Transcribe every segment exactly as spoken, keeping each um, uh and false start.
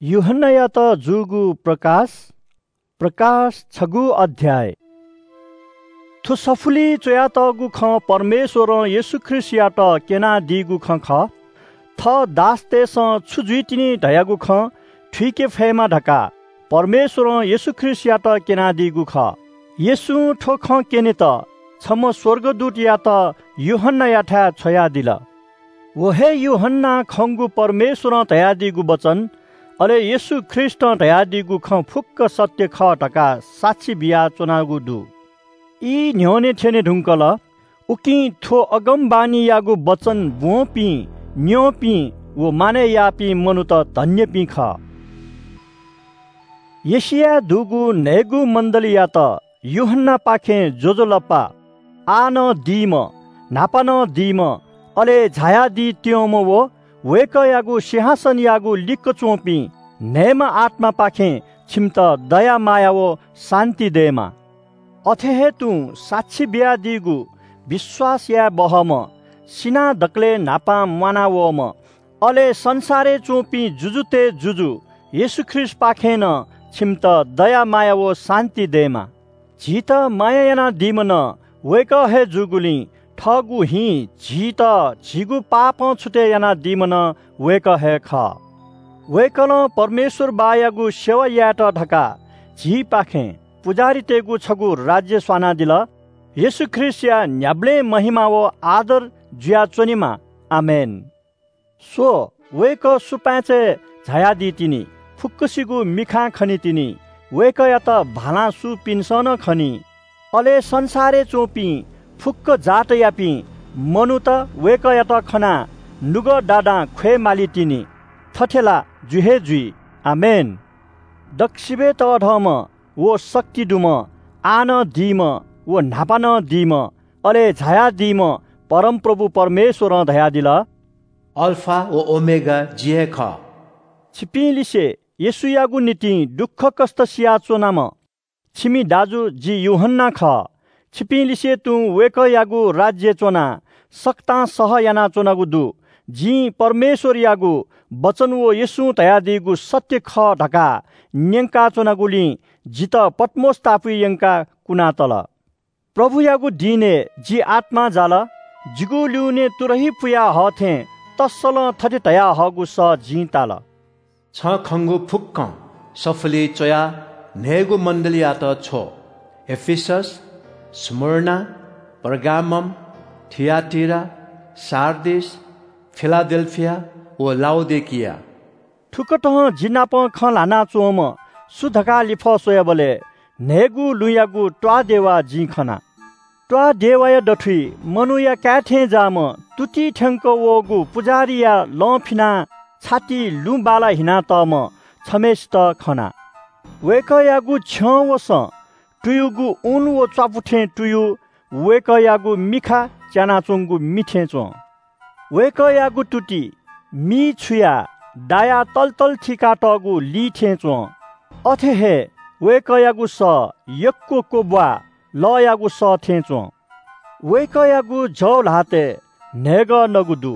यूहन्नायात जूगु प्रकाश, प्रकाश छगू अध्याय। थ्व सफुलिइ च्वयातःगु खँ परमेश्वरं येशू ख्रीष्टयात क्यनादीगु खँ खः। थः दासतय्सं छु जुइतिनि धयागु खँ थुइके फयेमा धकाः परमेश्वरं येशू ख्रीष्टयात क्यनादीगु खः। येशूं थ्व खँ क्यनेत छम्ह स्वर्गदूतयात यूहन्नायाथाय् छ्वयादिल। व हे यूहन्नां खंगु परमेश्वरं धयादीगु वचन, अले येशू ख्रीष्टं धयादीगु खँ फुक्क सत्य खः धकाः साक्षी बियाच्वनागु दु। ई न्ह्यःने थ्यने धुंकल। उकिं थ्व अगमवाणीयागु वचन ब्वंपिं, न्यंपिं व मानय् याःपिं मनूत धन्यपिं खः। एशियाय् दुगु न्हय्गू मण्डलीयात यूहन्नापाखें ज्वजलपा। आः नं दीम्ह, न्हापा नं दीम्ह, अले झायादी त्यंम्ह व वय्कःयागु सिंहासनयागु लिक्क च्वंपिं न्हय्म्ह आत्मापाखें छिमित दया माया व शान्ति दयेमा। अथे हे तुं साक्षी बियादीगु विश्वास याये बहःम्ह, सिनाः दकलय् न्हापां म्वानावःम्ह, अले संसारय् च्वंपिं जुजुतय् जुजु येशू ख्रीष्टपाखें नं छिमित दया माया व शान्ति दयेमा। झीत माया यानादीम्ह नं वय्कः हे जूगुलिं थःगु हिं झीत झीगु पापं छुतय् यानादीम्ह नं वय्कः हे खः। वय्कलं परमेश्वर बाःयागु सेवा यायेत धकाः झीपाखें पुजाहारीतय्गु छगू राज्य स्वानादिल। येशू ख्रीष्टया न्ह्याबलें महिमा व आदर जुयाच्वनेमा। आमेन। स्व, वय्कः सुपाँय्‌चय् झायादी तिनि, फुक्कसिगु मिखां खनी तिनि, वय्कःयात भालां सूपिन्सं नं खनी। अले संसारय् च्वंपिं फुक्क जातयापिं मनूत वय्कःयात खनाः नुगः दादां ख्वये माली तिनि। थथे ला जु हे जुइ। आमेन। दक्वसिबय् तःधंम्ह व शक्ति दुम्ह, आः नं दीम्ह व न्हापा नं दीम्ह, अले झायादीम्ह परमप्रभु परमेश्वरं धयादिल, अल्फा व ओमेगा जि हे खः। छिपिं लिसे येशूयागु निंतिं दुःखकष्ट सियाच्वनाम्ह छिमि दाजु जि यूहन्ना खः। छिपिं लिसे तुं वय्कःयागु राज्यय् च्वनाः सकतां सह यानाच्वनागु दु। जिं परमेश्वरयागु वचन व येशूं धयादीगु सत्य खः धकाः न्यंकाच्वनागुलिं जितः पत्मोस टापुइ यंकाः कुनातल। प्रभुयागु दिनय् जि आत्मां जाल। जिगु ल्यूने तुरही पुया हः थें तस्सलं थथे धयाहःगु सः जिं ताल। छं खंगु फुक्कं सफुलिइ च्वयाः न्हय्गू मण्डलीयात छ्व। एफिसस, स्मुर्ना, पर्गामम, थियाटीरा, सार्दिस, फिलाडेल्फिया व लाउडिकिया। थुकथं जि नाप खँ ल्हानाच्वंम्ह सु धकाः लिफः स्वयाबलय् न्हय्गू लुँयागु त्वाःदेवा जिं खना। त्वाःदेवाया दथुइ मनूया काय् थें जाःम्ह तुति थ्यंक वःगु पुजाहारीया लं फिनाः छातिइ लुँ बाला हिनातःम्ह छम्हय्सित खना। वय्कःयागु छ्यं वसं तुयुगु ऊन व च्वापु थें तुयु वय्कःयागु मिखा च्यानाच्वंगु मि थें च्वं। वय्कःयागु तुति मी छुयाः दायाः तलतल थीकातःगु ली थें च्वं। अथे हे वय्कःयागु सः यक्व क्वब्वाः लःयागु सः थें च्वं। वय्कःयागु जव ल्हातय् न्हय्गः नगु दु।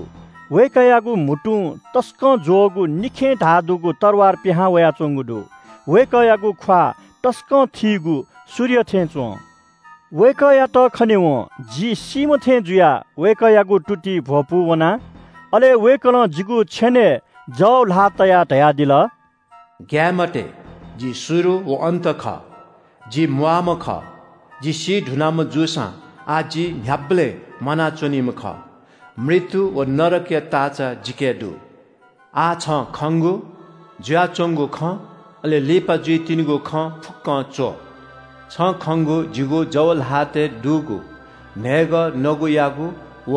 वय्कःयागु म्हुतुं तसकं ज्वःगु निखें धाः दुगु तरवार पिहां वयाच्वंगु दु। वय्कःयागु ख्वाः तसकं थीगु सूर्य थें च्वं। वय्कःयात खनेवं जि सीम्ह थें जुयाः वय्कःयागु तुति भ्वपू वना। अले वय्कलं जिगु छ्यनय् जव ल्हाः तयाः धयादिल, ग्याये मते, जि सुरु व अन्त खः। जि म्वाःम्ह खः। जि सी धुनाम्ह जूसां आः जि न्ह्याबलें म्वानाच्वनीम्ह खः। मृत्यु व नरकया ताःचा जिके दु। आः छं खंगु, जुयाच्वंगु खँ, अले लिपा जुइतिनिगु खँ फुक्कं च्व। छं खंगु जिगु जव ल्हातय् दुगु न्हय्गः नगुयागु व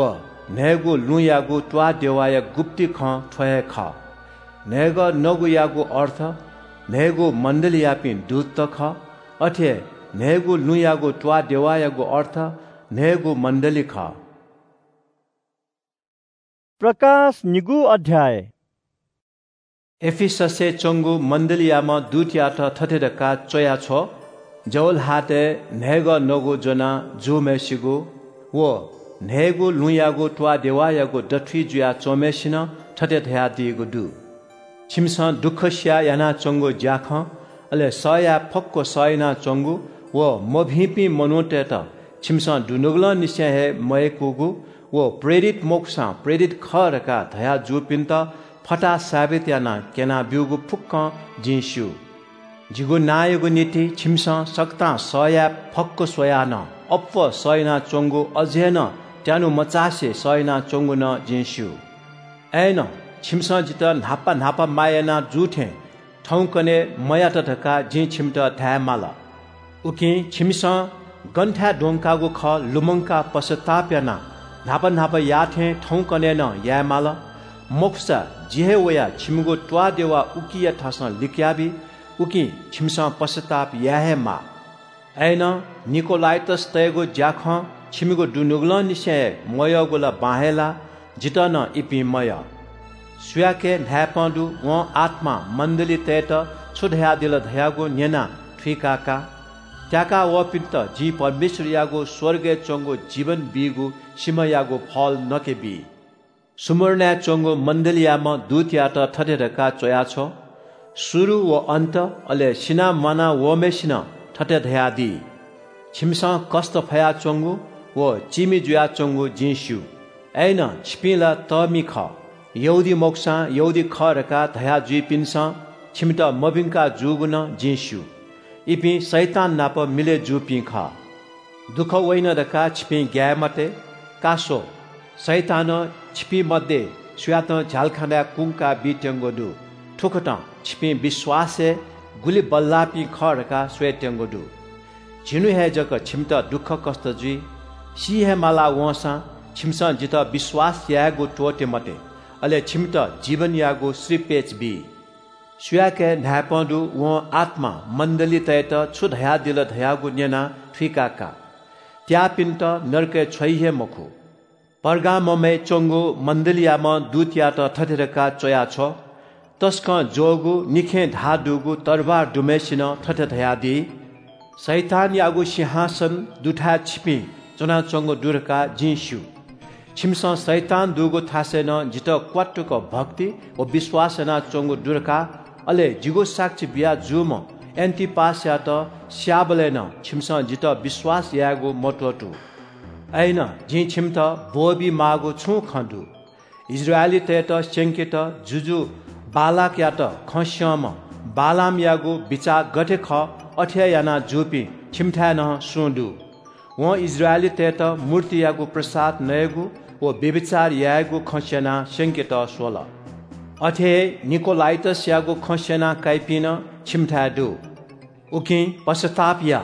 न्हय्गू लुँयागु त्वाःदेवाया गुप्ति खँ थ्व हे खः। न्हय्गः नगुयागु अर्थ न्हय्गू मण्डलीयापिं दूतत खः। अथे हे न्हय्गू लुँयागु त्वाःदेवायागु अर्थ न्हय्गू मण्डली खः। प्रकाश निगू अध्याय। एफिससय् च्वंगु मण्डलीयाम्ह दूतयात थथे धकाः च्वया छ्व, जव ल्हातय् न्हय्गः नगु ज्वना जूम्हय्सिगु व न्हय्गू लुँयागु त्वाःदेवायागु दथुइ जुया च्वंम्हय्सिनं थथे धयादीगु दु, छिमिसं दुःख सियाः यानाच्वंगु ज्याखँ, अले सह याये फक्व सह यानाच्वंगु व मभिंपिं मनूतय्त छिमिसं दुनुगलंनिसें हे मयय्कूगु व प्रेरित मखुसां प्रेरित खः धकाः धया जूपिन्त फताहा साबित यानाः क्यनाब्यूगु फुक्कं जिं स्यू। जिगु नांयागु निंतिं छिमिसं सकतां सह याये फक्व स्वयाः नं अप्वः सह यानाच्वंगु, अझ हे नं त्यानु मचासे सह यानाच्वंगु नं जिं स्यू। अय्नं छिमिसं जितः न्हापा न्हापा माया याना जू थें थौंकन्हय् मयात धकाः जिं छिमित धाये माल। उकिं छिमिसं गन थाय् द्वंकागु खः लुमंकाः पश्चाताप यानाः न्हापा न्हापा याः थें थौंकन्हय् नं याये माल। मखुसा जि हे वयाः छिमिगु त्वाःदेवा उकिया थासं लिकयाबी, उकिं छिमिसं पश्चाताप याये हे माः। अय्नं निकोलाइटसतय्गु ज्याखँ छिमिगु दुनुगलंनिसें हे मयःगु ला बां हे ला, जितः नं इपिं मयः। सुयाके न्हाय्पं दु, वं आत्मां मण्डलीतय्त छु धयादिल धयागु न्यनाः थुइका का। त्याका वःपिन्त जिं परमेश्वरयागु स्वर्गय् च्वंगु जीवन बीगु सिमायागु फल नके बी। स्मुर्नाय् च्वंगु मण्डलीयाम्ह दूतयात थथे धकाः च्वयाछ्व, सुरु व अन्त, अले सिनाः म्वाना वःम्हय्सिनं थथे धयादी, छिमिसं कष्ट फयाच्वंगु व चीमि जुयाच्वंगु जिं स्यू। अय्नं छिपिं ला तःमि खः। यहूदी मखुसां यहूदी खः धकाः धया जुइपिन्सं छिमित मभिंका जूगु नं जिं स्यू। इपिं शैतान नाप मिलय् जूपिं खः। दुःख वइन धकाः छिपिं ग्याये मते। का स्व, शैतानं छिपिं मध्ये सुयातं झ्यालखानाय् कुंका बीत्यंगु दु। थुकथं छिपिं विश्वासय् गुलि बल्लाःपिं खः धकाः स्वयेत्यंगु दु। झिन्हु हे जक छिमित दुःखकष्ट जुइ। सी हे माला वंसां छिमिसं जितः विश्वास यायेगु त्वःते मते, अले छिमित जीवनयागु श्रीपेच बी। सुयाके न्हाय्पं दु, वं आत्मां मण्डलीतय्त छु धयादिल धयागु न्यनाः थुइका का। त्याःपिन्त नरकय् छ्वइ हे मखु। पर्गाममय् च्वंगु मण्डलीयाम्ह दूतयात थथे धकाः च्वयाछ्व, तसकं ज्वःगु निखें धाः दुगु तरवार दुम्हय्सिनं थथे धयादी, शैतानयागु सिंहासन दुथाय् छिपिं च्वनाच्वंगु दु धकाः जिं स्यू। छिमिसं शैतान दुगु थासय् नं जितः क्वातुक भक्ति व विश्वास यानाच्वंगु दु धकाः, अले जिगु साक्षी बिया जूम्ह एन्‍टिपासयात स्‍याःबलय् नं छिमिसं जितः विश्वास यायेगु मत्वःतू। अय्नं जिं छिमित ब्‍वःबी माःगु छुं खँ दु? इस्राएलीतय्त स्‍यंकेत जुजु बालाकयात खँ स्‍यंम्‍ह बालामयागु बिचाः गथे खः, अथे हे याना जूपिं छिमिथाय् नं सुं दु। वं इस्राएलीतय्त मूर्तियागु प्रसाद नयेगु व व्‍यभिचार यायेगु खँ स्‍यनाः स्‍यंकेत स्‍वल। अथे हे निकोलाइटसयागु खँ स्‍यना काइपिं नं छिमिथाय् दु। उकिं पश्‍चाताप या,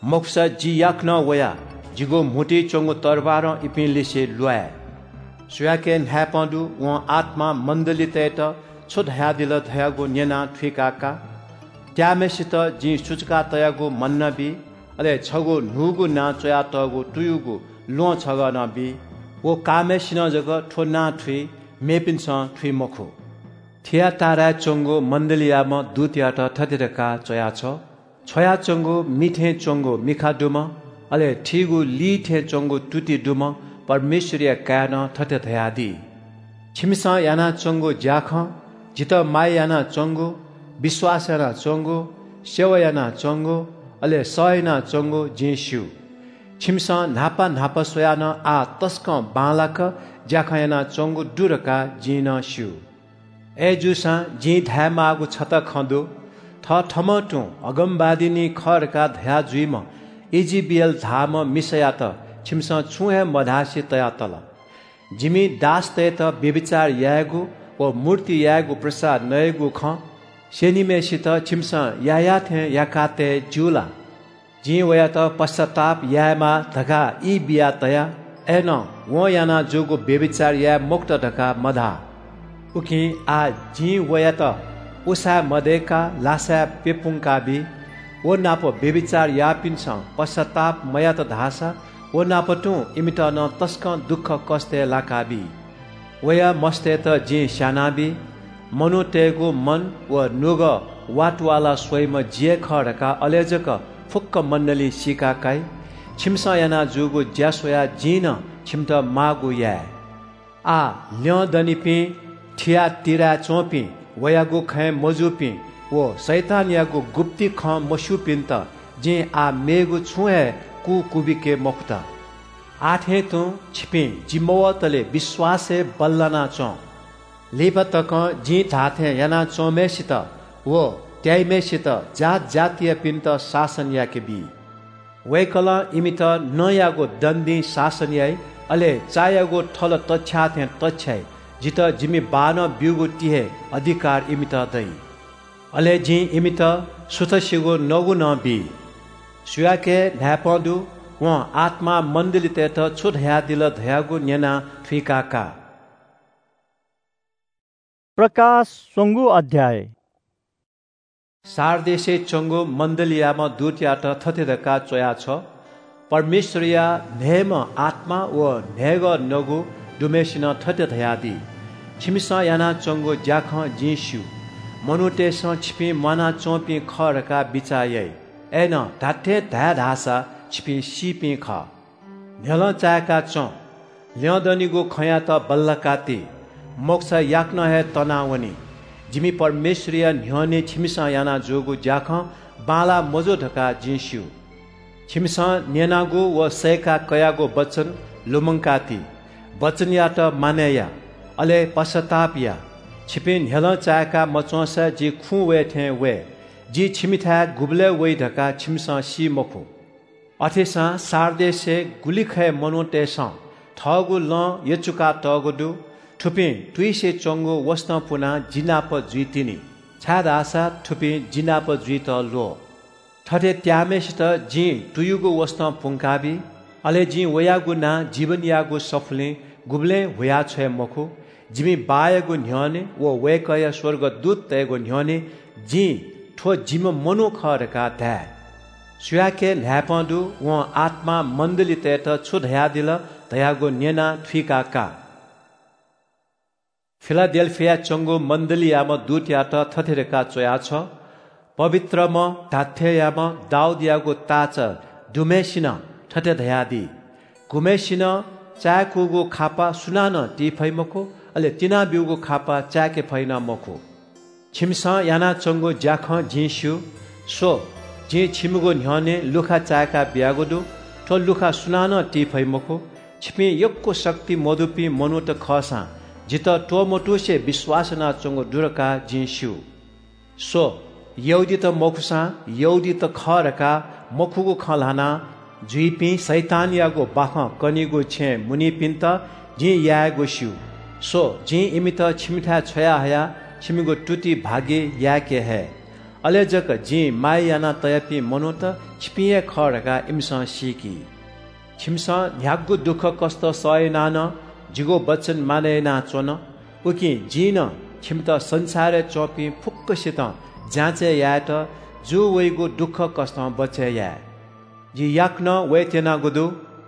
मखुसा जि याकनं वयाः जिगु म्‍हुतुइ च्‍वंगु तरवारं इपिं लिसे ल्‍वाये। सुयाके न्‍हाय्पं दु, वं आत्‍मां मण्‍डलीतय्त छु धयादिल धयागु न्‍यनाः थुइका का। त्याःम्‍हय्‌सित जिं सुचुका तयागु मन्‍ना बी, अले छगू न्‍हूगु नां च्‍वयातःगु तुयुगु ल्‍वहं छगः नं बी। व काःम्‍हय्‌सिनं जक थ्‍व नां थुइ, मेपिन्‍सं थुइ मखु। थिआटीराय् च्‍वंगु मण्‍डलीयाम्‍ह दूतयात थथे धकाः च्‍वयाछ्व, छ्वयाच्‍वंगु मि थें च्‍वंगु मिखा दुम्‍ह, अले थीगु ली थें च्‍वंगु तुति दुम्‍ह परमेश्‍वरया काय्‌नं थथे धयादी, छिमिसं यानाच्‍वंगु ज्‍याखँ, जितः माया यानाच्‍वंगु, विश्‍वास यानाच्‍वंगु, सेवा यानाच्‍वंगु, अले सह यानाच्‍वंगु जिं स्‍यू। छिमिसं न्‍हापा न्‍हापा स्वयाः नं आः तसकं बांलाक ज्‍याखँ यानाच्‍वंगु दु धकाः जिं नं स्‍यू। अय्‌जूसां जिं धायेमाःगु छता खँ दु। थःथम्‍हं तुं अगमवादिनी खः धकाः धया जुइम्‍ह इजिबेल धाःम्‍ह मिसायात छिमिसं छुं हे मधासे तयातल। जिमि दासतय्‌त व्‍यभिचार यायेगु व मूर्ति यायेगु प्रसाद नयेगु खँ स्‍यनीम्‍हय्‌सित छिमिसं याःयाः थें याका तये ज्‍यू ला? जिं वयात पश्‍चाताप यायेमाः धकाः ई बिया तया, अय्‌नं वं याना जूगु व्‍यभिचार याये मखुत धकाः मधाः। उकिं आः जिं वयात उसाँय् मदय्‌काः लासाय् प्‍यपुंकाबी। व नाप व्‍यभिचार याःपिन्‍सं पश्‍चाताप मयात धाःसा व नाप तुं इमित नं तसकं दुःखकष्‍टय् लाकाबी। वया मस्तय्‌त जिं स्‍यानाबी। मनूतय्‌गु मन व नुगः वातवाला स्वइम्‍ह जि हे खः धकाः अले जक फुक्‍क मण्‍डलीं सीका काइ। छिमिसं याना जूगु ज्‍या स्वयाः जिं नं छिमित माःगु याये। आः ल्‍यं दनिपिं थिआटीराय् च्‍वंपिं वयागु खँय् मजूपिं व शैतानयागु गुप्ति खँ मस्यूपिन्त जिं आः मेगु छुं हे कू कुबिके मखुत। आः थें तुं छिपिं जि मवतले विश्वासय् बल्लाना च्वँ। लिपा तकं जिं धाःथें यानाच्वंम्हय्‌सित व त्याइम्हय्‌सित जात जातियापिन्त शासन याके बी। वय्‌कलं इमित नँयागु दण्डिं शासन याइ, अले चायागु थल तछ्याः थें तछ्याइ। जितः जिमि बाःनं ब्यूगु ति हे अधिकार इमित दइ। अले जिं इमित सुथसिगु नगु नं बी। सुयाके न्हाय्‌पं दु, वं आत्मां मण्डलीतय्‌त छु धयादिल धयागु न्यनाः थुइका का। प्रकाश स्वंगू अध्याय। सार्देसय् च्वंगु मण्डलीयाम्ह दूतयात थथे धकाः च्वया छ्व, परमेश्वरया न्हय्‌म्ह आत्मा व न्हय्‌गः नगु दुम्हय्‌सिनं थथे धयादी, छिमिसं यानाच्वंगु ज्याखँ जिं स्यू। मनूतय्‌सं छिपिं म्वानाच्वंपिं खः धकाः बिचाः याइ। अय्‌नं धात्थें धाये धाःसा छिपिं सीपिं खः। न्ह्यलं चाय्‌का च्वँ। ल्यं दनिगु खँयात बल्लाका ति, मखुसा याकनं हे तनावनी। जिमि परमेश्वरया न्ह्यःने छिमिसं याना जूगु ज्याखँ बांलाः मजू धकाः जिं स्यू। छिमिसं न्यनागु व सय्‌का कयागु वचन लुमंका ति। वचनयात मानय् या, अले पश्चाताप या। छिपिं न्ह्यलं चाय्‌का मच्वंसा जि खुँ वये थें वये। जि छिमिथाय् गुबलय् वइ धकाः छिमिसं सी मखु। अथेसां सार्देसय् गुलिखय् मनूतय्‌सं थःगु लँ यचुका तःगु दु। थुपिं तुइसे च्वंगु वसतं पुनाः जि नाप जुइतिनि, छाय्‌धाःसा थुपिं जि नाप जुइत ल्वः। थथे त्याःम्हय्‌सित जिं तुयुगु वसतं पुंकाबी। अले जिं वयागु नां जीवनयागु सफुलिं गुबलें हुया छ्वये मखु। जिमि बाःयागु न्ह्यःने व वय्‌कःया स्वर्गदूततय्‌गु न्ह्यःने जिं थ्व जिम्ह मनू खः धकाः धाये। सुयाके न्हाय्‌पं दु, वं आत्मां मण्डलीतय्‌त छु धयादिल धयागु न्यनाः थुइका का। फिलाडेल्‍फियाय् च्वंगु मण्डलीयाम्ह दूतयात थथे धकाः च्वया छ्व, पवित्रम्ह धात्थेंयाम्ह दाऊदयागु ताःचा दुम्हय्‌सिनं थथे धयादी, गुम्हय्‌सिनं चाय्‌कूगु खापा सुनानं ती फइ मखु, अले तिनाब्‍यूगु खापा चाय्‌के फइ नं मखु। छिमिसं यानाच्वंगु ज्‍याखँ जिं स्‍यू। स्‍व, जिं छिमिगु न्‍ह्यःने लुखा चाय्‌का बियागु दु। थ्‍व लुखा सुनानं ती फइ मखु। छिपिं यक्‍व शक्ति मदुपिं मनूत खःसां जितः त्‍वमतुसे विश्‍वास यानाच्‍वंगु दु धकाः जिं स्‍यू। स्‍व, यहूदीत मखुसां यहूदीत खः धकाः मखुगु खँ ल्‍हाना जुइपिं शैतानयागु बाखं कनीगु छेँय् मुनीपिन्‍त जिं यायेगु स्‍यू। स्‍व, जिं इमित छिमिथाय् छ्वयाहयाः छिमिगु तुति भागि याय्‌के हये। अले जक जिं माया याना तयापिं मनूत छिपिं हे खः धकाः इमिसं सीकी। छिमिसं न्‍ह्यागु दुःखकष्‍ट सह यानाः नं जिगु वचन मानय् यानाच्‍वन। उकिं जिं नं छिमित संसारय् च्‍वंपिं फुक्‍कसितं जाँचय् यायेत जू वइगु दुःखकष्‍टं बचय् याये। जि याकनं वयेत्यनागु दु,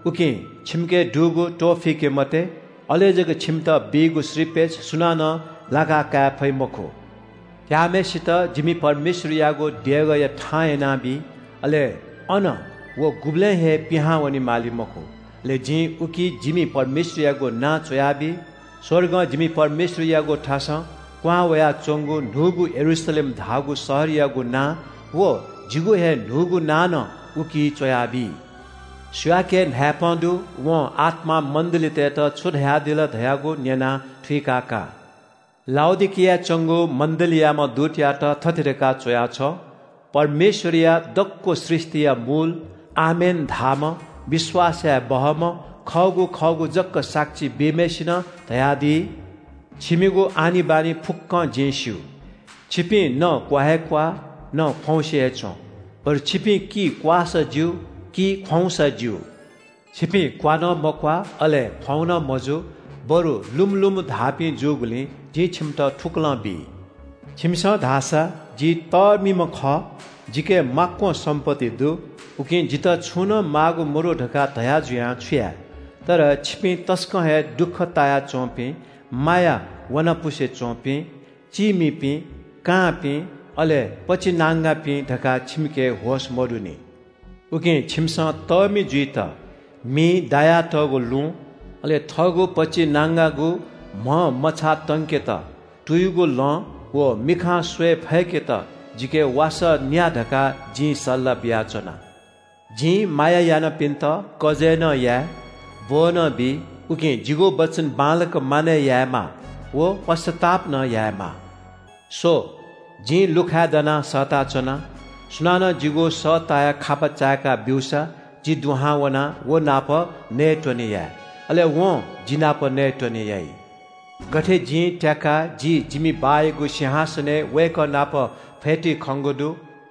उकिं छिमिके दुगु त्‍वःफिके मते, अले जक छिमित बीगु श्रीपेच सुनानं लाका काये फइ मखु। त्याःम्‍हय्‌सित जिमि परमेश्‍वरयागु देगःया थां यानाबी, अले अन व गुबलें हे पिहां वने माली मखु। अले जिं उकी जिमि परमेश्‍वरयागु नां च्‍वयाबी। स्‍वर्गं जिमि परमेश्‍वरयागु थासं क्‍वहां वयाच्‍वंगु न्‍हूगु यरूशलेम धाःगु शहरयागु नां व जिगु हे न्‍हूगु नां नं उकी च्‍वयाबी। सुयाके न्‍हाय्‌पं दु, वं आत्‍मां मण्‍डलीतय्‌त छु धयादिल धयागु न्‍यनाः थुइका का। लाउडिकियाय् च्‍वंगु मण्‍डलीयाम्‍ह दूतयात थथे धकाः च्‍वया छ्व, परमेश्‍वरया दक्‍व सृष्‍टिया मूल, आमेन धाःम्‍ह, विश्‍वास याये बहःम्‍ह, खःगु खःगु जक साक्षी बीम्‍हय्‌सिनं धयादी, छिमिगु आनिबानी फुक्‍कं जिं स्‍यू। छिपिं न क्‍वा हे क्‍वाः, न ख्‍वाउँसे हे च्‍वँ, बरु छिपिं कि क्‍वाःसा ज्‍यू, कि ख्‍वाउँसा ज्‍यू। छिपिं क्‍वा नं मक्‍वाः, अले ख्‍वाउँ नं मजू, बरु लुमु लुमु धाःपिं जूगुलिं जिं छिमित थुकलं बी। छिमिसं धाःसा जि तःमिम्‍ह खः, जिके माक्‍वं सम्‍पत्ति दु, उकिं जितः छुं नं माःगु मदु धकाः धया जुयां छु याये? तर छिपिं तसकं हे दुःख तायाच्‍वंपिं, माया वनापुसे च्‍वंपिं, चीमिपिं, कांपिं, अले पचिनांगापिं धकाः छिमिके होश मदुनि। उकिं छिमिसं तःमि जुइत, मिइ दायातःगु लुँ, अले थःगु पचिनांगागु म्‍ह मछाः तंकेत तुयुगु लँ, व मिखां स्वये फय्केत जिके वासः न्या धकाः जिं सल्‍लाह बियाच्‍वना। जिं माया यानापिन्‍त कजय् नं याये, ब्‍वः नं बी, उकिं जिगु वचन बांलाक मानय् यायेमाः व पश्‍चाताप नं यायेमाः। स्‍व, जिं लुखाय् दनाः सःताच्‍वना। सुनानं जिगु सःताया खापा चाय्‌का ब्‍यूसा जि दुहां वनाः व नाप नयेत्‍वने याये, अले वं जि नाप नयेत्‍वने याइ। गथे जिं त्‍याकाः जि जिमि बाःयागु सिंहासनय् वय्‌कः नाप फ्‍यतुइ खंगु दु,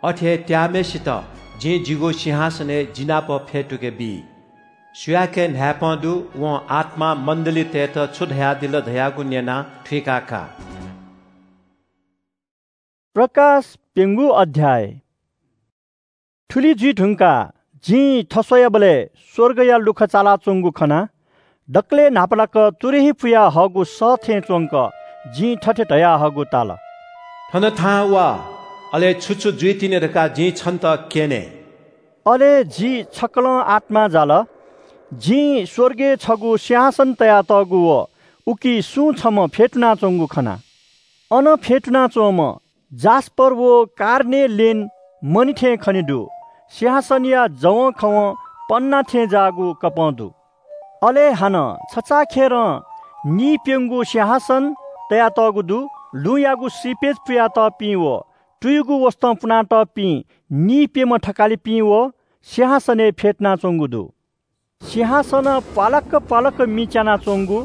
अथे हे त्‍याःम्‍हय्‌सित जिं जिगु सिंहासनय् जि नाप फ्‍यतुके बी। सुयाके न्‍हाय्‌पं दु, वं आत्‍मां मण्‍डलीतय्‌त छु धयादिल धयागु न्‍यनाः थुइका का। प्रकाश प्‍यंगू अध्‍याय। थुलि जुइ धुंकाः जिं थस्‍वयाबलय् स्‍वर्गया लुखा चालाच्‍वंगु खना। दकलय् न्‍हापालाक तुरही पुया हःगु सः थें च्‍वंक जिं थथे धयाहःगु ताल – “थन थाहां वा, अले छु छु जुइतिनि धकाः जिं छन्‍त क्‍यने।” अले जि छकलं आत्‍मां जाल। जिं स्‍वर्गय् छगू सिंहासन तयातःगु व उकी सुं छम्‍ह फ्‍यतुनाच्‍वंगु खना। अन फ्‍यतुनाच्‍वंम्‍ह जास्‍पर व कार्नेल्‍यन मणि थें खने दु। सिंहासनया जवंखवं पन्‍ना थें जाःगु कपं दु। अले हानं छचाःखेरं नीप्‍यंगू सिंहासन तयातःगु दु। लुँयागु श्रीपेच पुयातःपिं व तुयुगु वसतं पुनातःपिं नीप्‍यम्‍ह थकालिपिं व सिंहासनय् फ्‍यतुनाच्‍वंगु दु। सिंहासनं प्‍वालाक्‍क प्‍वालाक्‍क मि च्यानाच्‍वंगु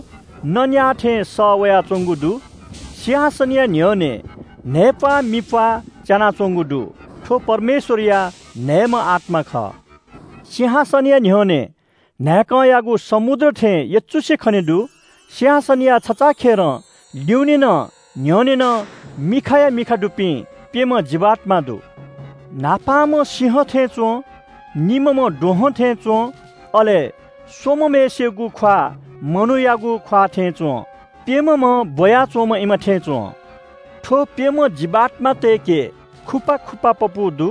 नँन्‍याः थें सः वयाच्‍वंगु दु। सिंहासनया न्‍ह्यःने न्‍हय्‌प्‍वाः मिप्‍वाः च्यानाच्‍वंगु दु। थ्‍व परमेश्‍वरया न्‍हय्‌म्‍ह आत्‍मा खः। सिंहासनया न्‍ह्यःने न्‍हाय्‌कंयागु समुद्र थें यचुसे खने दु। सिंहासनया छचाःखेरं ल्‍यूनेनं न्‍ह्यःनेनं मिखाया मिखा दुपिं प्‍यम्‍ह जीवात्‍मा दु। न्‍हापांम्‍ह सिंह थें च्‍वं, निम्‍हम्‍ह दुहं थें च्‍वं, अले स्‍वम्‍हम्‍हय्‌सिगु ख्‍वाः मनूयागु ख्‍वाः थें च्‍वं। प्‍यम्‍हम्‍ह ब्‍वयाच्‍वंम्‍ह इमा थें च्‍वं। थ्‍व प्‍यम्‍ह जीवात्‍मातय्‌के खुपा खुपा पपू दु।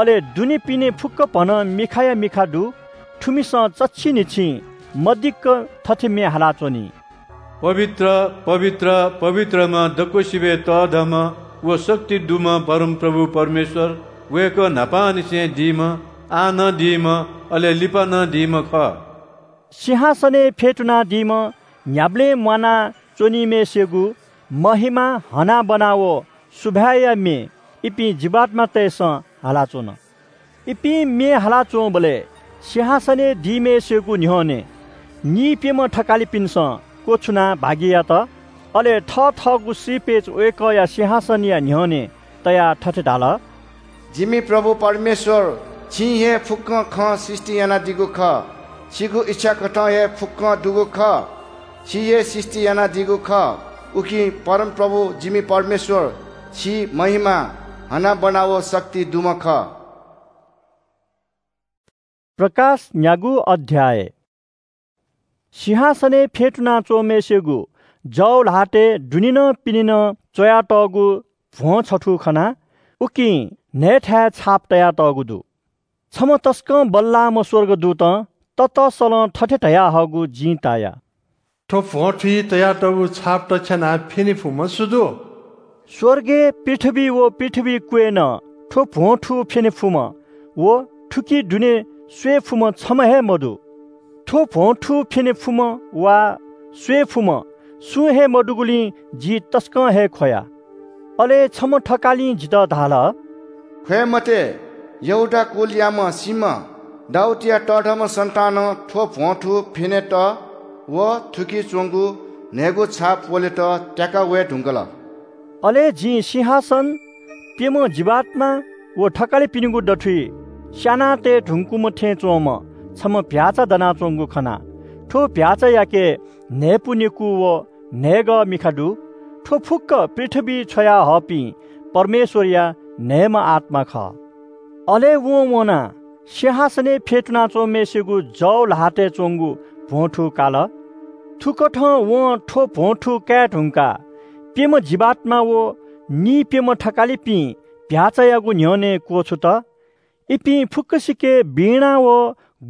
अले दुने पिने फुक्‍क भनं मिखाया मिखा दु। थुमिसं चच्‍छि न्‍हिच्‍छिं मदिक्‍क थथे म्‍ये हालाच्‍वनी – “पवित्र, पवित्र, पवित्रम्‍ह दक्‍वसिबय् तःधंम्‍ह व शक्ति दुम्‍ह परमप्रभु परमेश्‍वर, वय्‌कः न्‍हापांनिसें दीम्‍ह, आः नं दीम्‍ह, अले लिपा नं दीम्‍ह खः।” सिंहासनय् फ्‍यतुनादीम्‍ह न्‍ह्याबलें म्‍वाना च्‍वनीम्‍हय्‌सिगु महिमा, हनाबना व सुभाय्‌या म्‍ये इपिं जीवात्‍मातय्‌सं हालाच्‍वन। इपिं म्‍ये हालाच्‍वंबलय् सिंहासनय् दीम्‍हय्‌सिगु न्‍ह्यःने नीप्‍यम्‍ह थकालिपिन्‍सं क्‍वछुनाः भागि यात। अले थथःगु श्रीपेच वय्‌कःया सिंहासनया न्‍ह्यःने तयाः थथे धाल – “जिमि प्रभु परमेश्‍वर, छिं हे फुक्‍कं खँ सृष्‍टि यानादीगु खः। छिगु इच्‍छाकथं हे फुक्‍कं दुगु खः। छि हे सृष्‍टि यानादीगु खः। उकिं परमप्रभु जिमि परमेश्‍वर, छि महिमा, हनाबना व शक्ति दुम्‍ह खः।” प्रकाश न्‍यागू अध्‍याय। सिंहासनय् फ्‍यतुनाच्‍वंम्‍हय्‌सिगु जव ल्‍हातय् दुनेनं पिनेनं च्‍वयातःगु भ्‍वं छथू खना। उकिं न्‍हय्‌थाय् छाप तयातःगु दु। छम्‍ह तसकं बल्‍लाःम्‍ह स्‍वर्गदूतं ततसलं थथे धयाहःगु जिं ताया – “थ्‍व भ्‍वं थुइ तयातःगु छाप तछ्यानाः फ्‍यने फुम्‍ह सु दु?” स्‍वर्गय् पृथ्‍वी व पृथ्‍वीइ क्‍वय् नं थ्‍व भ्‍वं थू फ्‍यने फुम्‍ह व थुकी दुने स्वये फुम्‍ह छम्‍ह हे मदु। थ्‍व भ्‍वं थू फ्‍यने फुम्‍ह वा स्वये फुम्‍ह सुं हे मदुगुलिं जि तसकं हे ख्‍वया। अले छम्‍ह थकालिं जितः धाल – “ख्‍वये मते, यहूदा कुलयाम्‍ह सीम्‍ह दाऊदया तःधंम्‍ह सन्‍तानं थ्‍व भ्‍वं थू फ्‍यनेत व थुकी च्‍वंगु न्‍हय्‌गू छाप वलेत त्‍याका वये धुंकल।” अले जिं सिंहासन, प्‍यम्‍ह जीवात्‍मा व थकालिपिनिगु दथुइ स्‍यानातये धुंकूम्‍ह थें च्‍वंम्‍ह छम्‍ह भ्‍याःचा दनाच्‍वंगु खना। थ्‍व भ्‍याःचायाके न्‍हय्‌पु नेकू व न्‍हय्‌गः मिखा दु। थ्‍व फुक्‍क पृथ्‍वीइ छ्वयाहःपिं परमेश्‍वरया न्‍हय्‌म्‍ह आत्‍मा खः। अले वं वनाः सिंहासनय् फ्‍यतुनाच्‍वंम्‍हय्‌सिगु जव ल्‍हातय् च्‍वंगु भ्‍वं थू काल। थुकथं वं थ्‍व भ्‍वं थू काये धुंकाः प्‍यम्‍ह जीवात्‍मा व नीप्‍यम्‍ह थकालिपिं भ्‍याःचायागु न्‍ह्यःने क्‍वछुत। इपिं फुक्‍कसिके वीणा व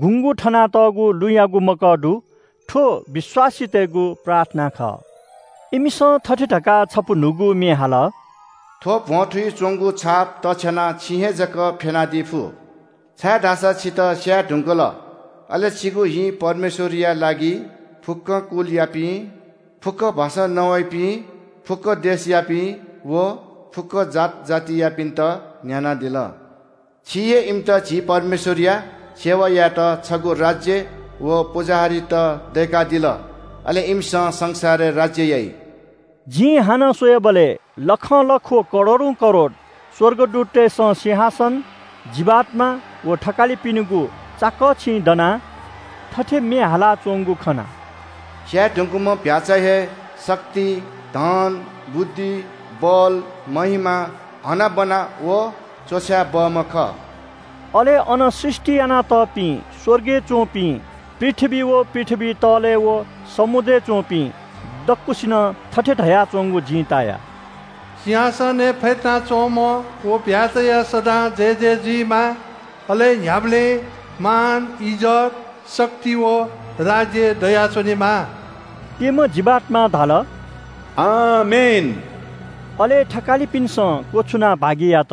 गुँगू थनातःगु लुँयागु मकः दु। थ्‍व विश्‍वासीतय्‌गु प्रार्थना खः। इमिसं थथे धकाः छपु न्‍हूगु म्‍ये हाल – थ्व भ्वंथुइ च्वंगु छाप तछ्यानाः छिं हे जक फ्यनादी फु, छाय्धाःसा छितः स्याये धुंकल। अले छिगु हिं परमेश्वरया लागि फुक्क कुलयापिं, फुक्क भाषां नवाइपिं, फुक्क देशयापिं व फुक्क जात जातियापिन्त न्ह्यानादिल। छि हे इमित झी परमेश्वरया सेवा यायेत छगू राज्य व पुजाहारीत दय्कादिल। अले इमिसं संसारय् राज्य याइ। जिं हानं स्वयेबलय् लखं लख व करोडौं करोड स्वर्गदूततय्सं सिंहासन, जीवात्मा व थकालिपिनिगु चाकःछिं दनाः थथे म्ये हालाच्वंगु खना। स्याये धुंकूम्ह भ्याःचा हे शक्ति, धन, बुद्धि, बल, महिमा, हनाबना व च्वछाये बहःम्ह खः। अले अन सृष्टि यानातःपिं स्वर्गय् च्वंपिं, पृथ्वी व पृथ्वी तःलय् व समुद्रय् च्वंपिं दक्वसिनं थथे धयाच्वंगु जिं ताया। सिंहासनय् फ्यतुनाच्वंम्ह व भ्याःचाया सदां जयजय जुइमा। अले न्ह्याबलें मान, इज्जत, शक्ति व राज्य दयाच्वनेमा। प्यम्ह जीवात्मां धाल, आमेन। अले थकालिपिन्सं क्वछुनाः भागि यात।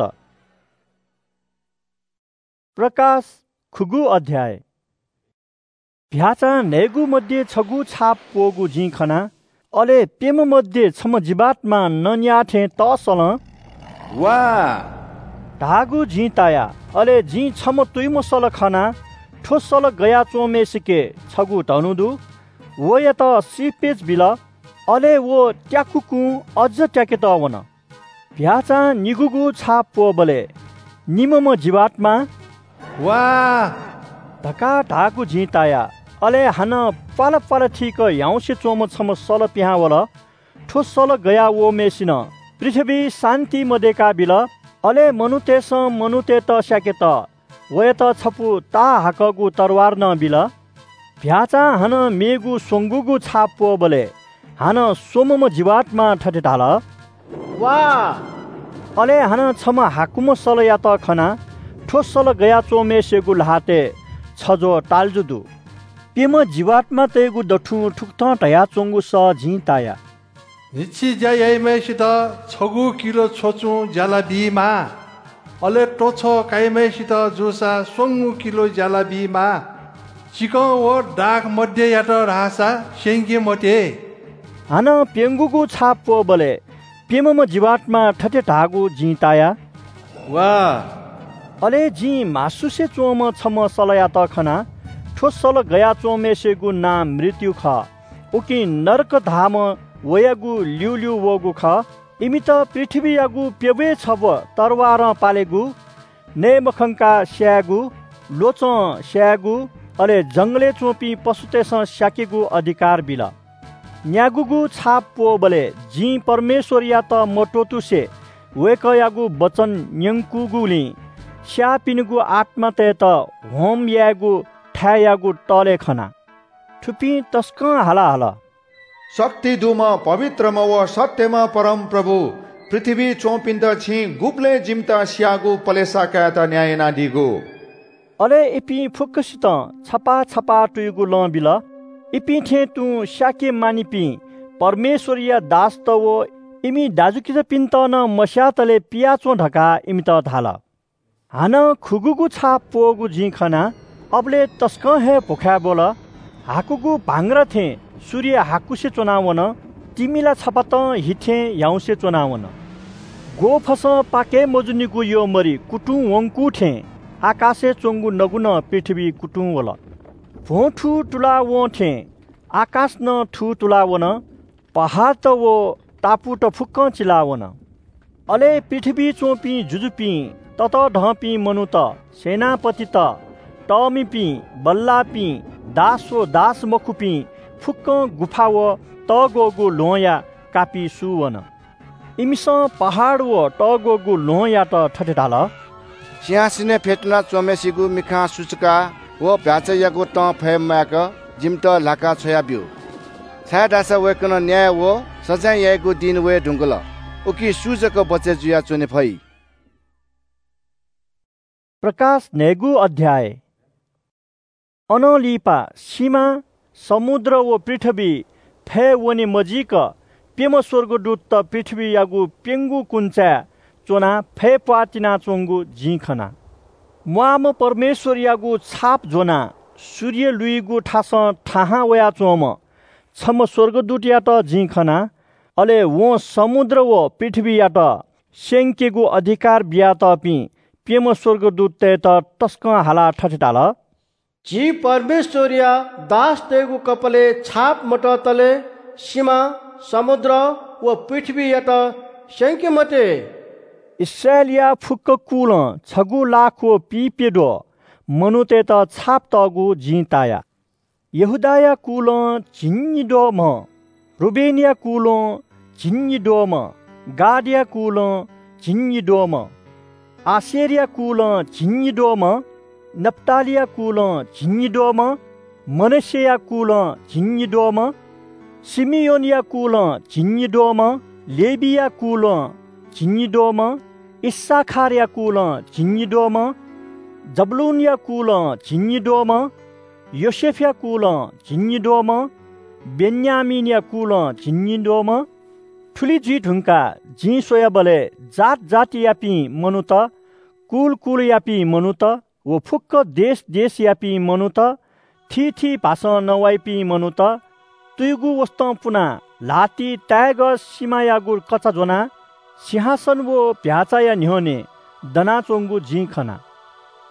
प्रकाश खुगू अध्याय। भ्याःचां न्हय्गू मध्ये छगू छाप प्वःगु जिं खना। अले प्यम्ह मध्ये छम्ह जीवात्मां नँ न्याः थें तःसलं वा धाःगु जिं ताया। अले जिं छम्ह तुयुम्ह सल खना। थ्व सल गयाच्वंम्हय्सिके छगू धनु दु। वयात सिपेच बिल। अले व त्याकुकुं अझ त्याकेत वन। भ्याःचां निगूगु छाप प्वःबलय् निम्हम्ह जीवात्मां वा धकाः धाःगु जिं ताया। अले हानं प्वाला प्वाला थीक ह्याउँसे च्वंम्ह छम्ह सल पिहां वल। थ्व सल गया वःम्हय्सिनं पृथ्वीइ शान्ति मदय्काबिल। अले मनूतय्सं मनूतय्त स्याकेत वयात छपु ताः हाकःगु तरवार नं बिल। भ्याःचां हानं मेगु स्वंगूगु छाप प्वःबलय् हानं स्वम्हम्ह जीवात्मां थथे धाल, वा। अले हानं छम्ह हाकुम्ह सलयात खना। थ्व सल गयाच्वंम्हय्सिगु ल्हातय् छज्वः ताल्जु दु। प्यम्ह जीवात्मातय्गु दथुं थुकथं धयाच्वंगु सः जिं ताया। न्हिच्छि ज्या याइम्हय्सित छगू किलो छ्वचुं ज्याला बीमाः। अले त्वछः काइम्हय्सित जूसा स्वंगू किलो ज्याला बीमाः। चिकं व दाख मध्ययात धाःसा स्यंके मते। हानं प्यंगूगु छाप प्वःबलय् प्यम्हम्ह जीवात्मां थथे धाःगु जिं ताया, वा। अले जिं म्हासुसे च्वंम्ह छम्ह सलयात खना। थ्व सल गयाच्वंम्हय्सिगु नां मृत्यु खः। उकिं नरक धाःम्ह वयागु ल्यूल्यू वःगु खः। इमित पृथ्वीयागु प्यब्वय् छब्व तरवारं पालेगु, नये मखंकाः स्यायेगु, ल्वचं स्यायेगु, अले जंगलय् च्वंपिं पशुतय्सं स्याकेगु अधिकार बिल। न्यागूगु छाप प्वःबलय् जिं परमेश्वरयात मत्वःतुसे वय्कःयागु वचन न्यंकूगुलिं स्याःपिनिगु आत्मातय्त होम यायेगु थाय्‌यागु तलय् खना। थुपिं तसकं हाला हल, शक्ति दुम्ह, पवित्रम्ह व सत्यम्ह परमप्रभु, पृथ्वीइ च्वंपिन्त छिं गुबलें जिमित स्याःगु पलेसा कायेत न्याय यानादीगु। अले इपिं फुक्कसितं छपाः छपाः तुयुगु लं बिल। इपिं थें तुं स्याके मानिपिं परमेश्वरया दासत व इमि दाजुकिजापिन्त नं मस्यातले पियाच्वँ धकाः इमित धाल। हानं खुगूगु छाप प्वःगु जिं खना। अबलय् तसकं हे भुखाय् ब्वल। हाकुगु भांग्रा थें सूर्य हाकुसे च्वनावन। तिमि ला छपातं हि थें ह्याउँसे च्वनावन। ग्वःफसं पाके मजूनिगु यःमरि कुतुं वंकू थें आकाशय् च्वंगु नगु नं पृथ्वीइ कुतुं वल। भ्वं थू तुलावं थें आकाश नं थू तुलावन। पहाडत व टापुत फुक्कं चिलावन। अले पृथ्वीइ च्वंपिं जुजुपिं, ततःधंपिं मनूत, सेनापतित, तःमिपिं, बल्लाःपिं, दास व दास मखुपिं फुक्कं गुफा व तःग्वःगु ल्वहंया कापि सू वन। इमिसं पहाड व तःग्वःगु ल्वहंयात थथे धाल, सिंहासनय् फ्यतुना च्वंम्हय्सिगु मिखां सुचुकाः व भ्याःचायागु तं फय् म्वायेक जिमित ल्हाका छ्वयाब्यु, छाय्धाःसा वय्कलं न्याय व सजाँय याइगु दिं वये धुंकल। उकिं सु जक बचय् जुयाच्वने फइ? प्रकाश न्हय्गू अध्याय। अनं लिपा सिमा, समुद्र व पृथ्वी फय् वने मजीक प्यम्ह स्वर्गदूतत पृथ्वीयागु प्यंगू कुन्चाय् च्वनाः फय्‌प्वाः तिनाच्वंगु जिं खना। म्वाःम्ह परमेश्वरयागु छाप ज्वनाः सूर्य लुइगु थासं थाहां वयाच्वंम्ह छम्ह स्वर्गदूतयात जिं खना। अले वं समुद्र व पृथ्वीयात स्यंकेगु अधिकार बियातःपिं प्यम्ह स्वर्गदूततय्‌त तसकं हालाः थथे धाल – झी परमेश्वरया दासतय्‌गु कपालय् छाप मततले सिमा, समुद्र व पृथ्वीयात स्यंके मते। इस्राएलया फुक्क कुलं छगू लाख व पीप्यद्वः मनूतय्‌त छाप तःगु जिं ताया। यहूदाया कुलं झिंनिद्वःम्ह, रुबेनया कुलं झिंनिद्वःम्ह, गादया कुलं झिंनिद्वःम्ह, आशेरया कुलं झिंनिद्वःम्ह, नप्तालीया कुलं झिंनिद्वःम्ह, मनश्शेया कुलं झिंनिद्वःम्ह, शिमियोनया कुलं झिंनिद्वःम्ह, लेवीया कुलं झिंनिद्वःम्ह, इस्साखारया कुलं झिंनिद्वःम्ह, जबूलूनया कुलं झिंनिद्वःम्ह, योसेफया कुलं झिंनिद्वःम्ह, बेन्यामीनया कुलं झिंनिद्वःम्ह। थुलि जुइ धुंकाः जिं स्वयाबलय् जात जातियापिं मनूत, कुल कुलयापिं मनूत व फुक्क देश देशयापिं मनूत, थीथी भासं नवाइपिं मनूत, तुयुगु वसतं पुनाः ल्हातिइ ताय्‌गः सिमायागु कचा ज्वनाः सिंहासन व भ्याःचाया न्ह्यःने दनाच्वंगु जिं खना।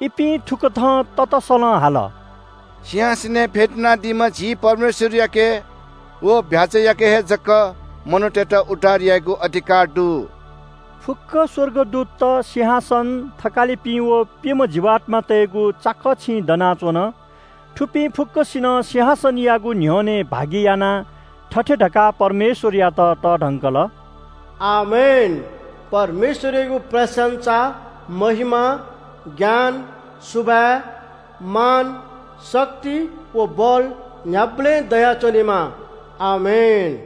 इपिं थुकथं ततसलं हाल – सिंहासनय् फ्यतुनादीम्ह झी परमेश्वरयाके व भ्याःचायाके हे जक मनूतय्‌त उद्धार यायेगु अधिकार दु। फुक्क स्वर्गदूतत, सिंहासन, थकालिपिं व प्यम्ह जीवात्मातय्‌गु चाकःछिं दनाच्वन। थुपिं फुक्कसिनं सिंहासनयागु न्ह्यःने भागि यानाः थथे धकाः परमेश्वरयात तःधंकल – आमेन। परमेश्वरयागु प्रशंसा, महिमा, ज्ञान, सुभाय्, मान, शक्ति व बल न्ह्याबलें दयाच्वनेमा। आमेन।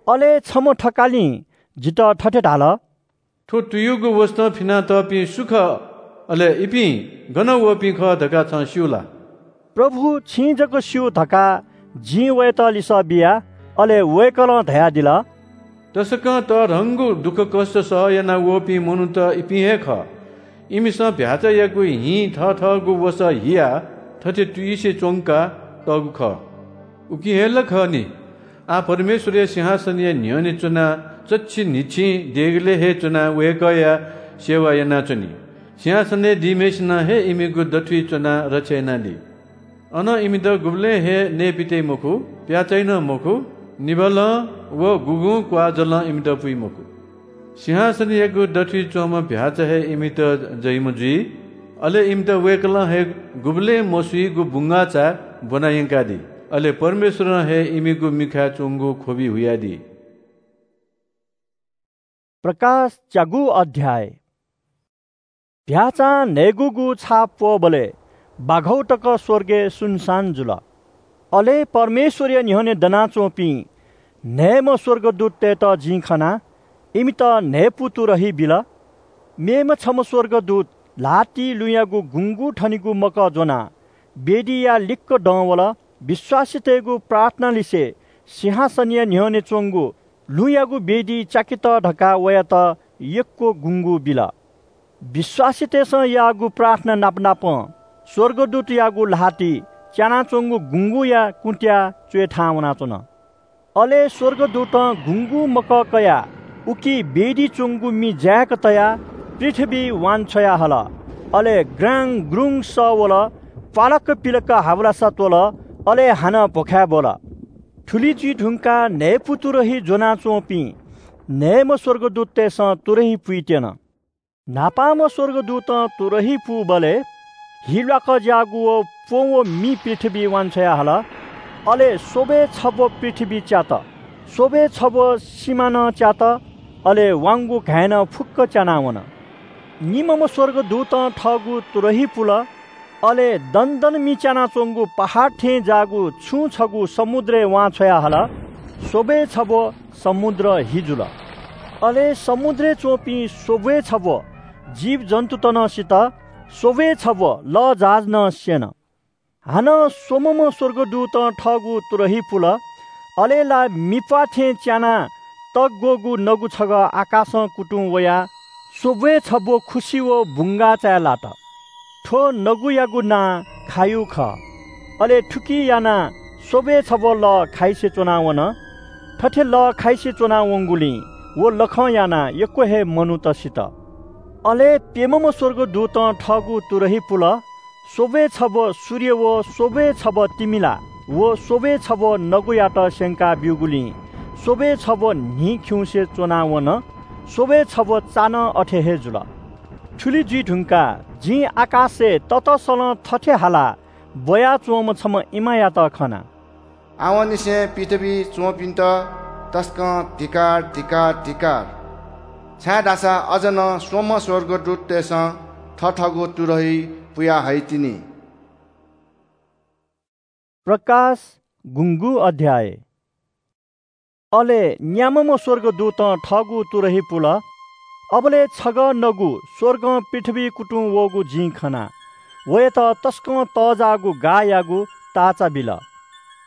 अले छम्ह थकालिं जितः थथे धाल – थ्व तुयुगु वसतं फिनातःपिं सु खः? अले इपिं गन वःपिं खः धकाः छं स्यू ला? प्रभु, छिं जक स्यू धकाः जिं वयात लिसः बिया। अले वय्‌कलं धयादिल – तसकं तःधंगु दुःखकष्ट सह याना वःपिं मनूत इपिं हे खः। इमिसं भ्याःचायागु हिं थथःगु वसः हियाः थथे तुयुसे च्वंका तःगु खः। उकिं हे ला खः नि। आः परमेश्वरया सिंहासनया न्ह्यःने च्वनाः चच्छि न्हिच्छिं देगलय् हे च्वनाः वय्‌कःया सेवा यानाच्वनी। सिंहासनय् दीम्हय्‌सिनं हे इमिगु दथुइ च्वनाः रक्षा यानादी। अनं इमित गुबलें हे नयेपित्याइ मखु, प्याःचाइ नं मखु, निभालं व गुगुं क्वाःजलं इमित पुइ मखु। सिंहासनयागु दथुइ च्वंम्ह भ्याःचा हे इमित जइम्ह जुइ। अले इमित वय्‌कलं हे गुबलें मसुइगु बुंगाःचा ब्वना यंकादी। अले परमेश्वरं हे इमिगु मिखाय् च्वंगु ख्वबि हुयादी। प्रकाश च्यागू अध्याय। भ्याःचां न्हय्‌गूगु छाप प्वःबलय् बाघौ तक स्वर्गय् सुनसान जुल। अले परमेश्वरया न्ह्यःने दनाच्वंपिं न्हय्‌म्ह स्वर्गदूततय्‌त जिं खना। इमित न्हय्‌पु तुरही बिल। मेम्ह छम्ह स्वर्गदूत ल्हातिइ लुँयागु गुँगू थनिगु मकः ज्वनाः वेदीया लिक्क दं वल। विश्वासीतय्‌गु प्रार्थना लिसे सिंहासनया न्ह्यःने च्वंगु लुँयागु वेदी च्याकेत धकाः वयात यक्व गुँगू बिल। विश्वासीतय्‌सं याःगु प्रार्थना नापनापं स्वर्गदूतयागु ल्हाति च्यानाच्वंगु गुँगूया कुँत्‍याः च्वय् थाहां वनाच्वन। अले स्वर्गदूतं गुँगू मकः कयाः उकी वेदी च्वंगु मि जाय्‌क तयाः पृथ्वीइ वांछ्वया हल। अले ग्राङ ग्रुङ सः वल, प्‍वालक पिलक हावलासा त्‍वल, अले हानं भ्‍वखाय् ब्‍वल। थुलि जुइ धुंकाः न्‍हय्‌पु तुरही ज्‍वनाच्‍वंपिं न्‍हय्‌म्‍ह स्‍वर्गदूततय्‌सं तुरही पुइत्‍यन। न्‍हापांम्‍ह स्‍वर्गदूतं तुरही पूबलय् हि ल्‍वाकज्‍याःगु व प्‍वँ व मि पृथ्‍वीइ वांछ्वया हल। अले स्‍वब्‍वय् छब्‍व पृथ्‍वी च्यात, स्‍वब्‍वय् छब्‍व सिमा नं च्यात, अले वांगु घाँय् नं फुक्‍क च्यानावन। निम्‍हम्‍ह स्‍वर्गदूतं थःगु तुरही पुल। अले दनदन मि च्यानाच्‍वंगु पहाड थें जाःगु छुं छगू समुद्रय् वांछ्वया हल। स्‍वब्‍वय् छब्‍व समुद्र हि जुल। अले समुद्रय् च्‍वंपिं स्‍वब्‍वय् छब्‍व जीवजन्‍तुत नं सित, स्‍वब्‍वय् छब्‍व लःजहाज नं स्‍यन। हानं स्‍वम्‍हम्‍ह स्‍वर्गदूतं थःगु तुरही पुल। अले ला मिप्‍वाः थें च्यानाः तग्‍वःगु नगु छगः आकाशं कुतुं वयाः स्‍वब्‍वय् छब्‍व खुसि व बुंगाःचाय् लात। थ्‍व नगुयागु नां खायु खः। अले थुकी यानाः स्‍वब्‍वय् छब्‍व लः खाइसे च्‍वनावन। थथे लः खाइसे च्‍वनावंगुलिं व लखं यानाः यक्‍व हे मनूत सित। अले प्‍यम्‍हम्‍ह स्‍वर्गदूतं थःगु तुरही पुल। स्‍वब्‍वय् छब्‍व सूर्य व स्‍वब्‍वय् छब्‍व तिमिला व स्‍वब्‍वय् छब्‍व नगुयात स्‍यंका ब्‍यूगुलिं स्‍वब्‍वय् छब्‍व न्‍हि खिउँसे च्‍वनावन। स्‍वब्‍वय् छब्‍व चा नं अथे हे जुल। थुलि जुइ धुंकाः जिं आकाशय् ततसलं थथे हालाः ब्‍वयाच्‍वंम्‍ह छम्‍ह इमायात खना। आवंनिसें पृथ्‍वीइ च्‍वंपिन्‍त तसकं धिक्‍कार, धिक्‍कार, धिक्‍कार, छाय्‌धाःसा अझ नं स्‍वम्‍ह स्‍वर्गदूततय्‌सं थथःगु तुरही पुया हइतिनि। प्रकाश गुंगू अध्‍याय। अले न्‍याम्‍हम्‍ह स्‍वर्गदूतं थःगु तुरही पुल। अबलय् छगः नगु स्‍वर्गं पृथ्‍वीइ कुतुं वःगु जिं खना। वयात तसकं तःजाःगु गाःयागु ताःचा बिल।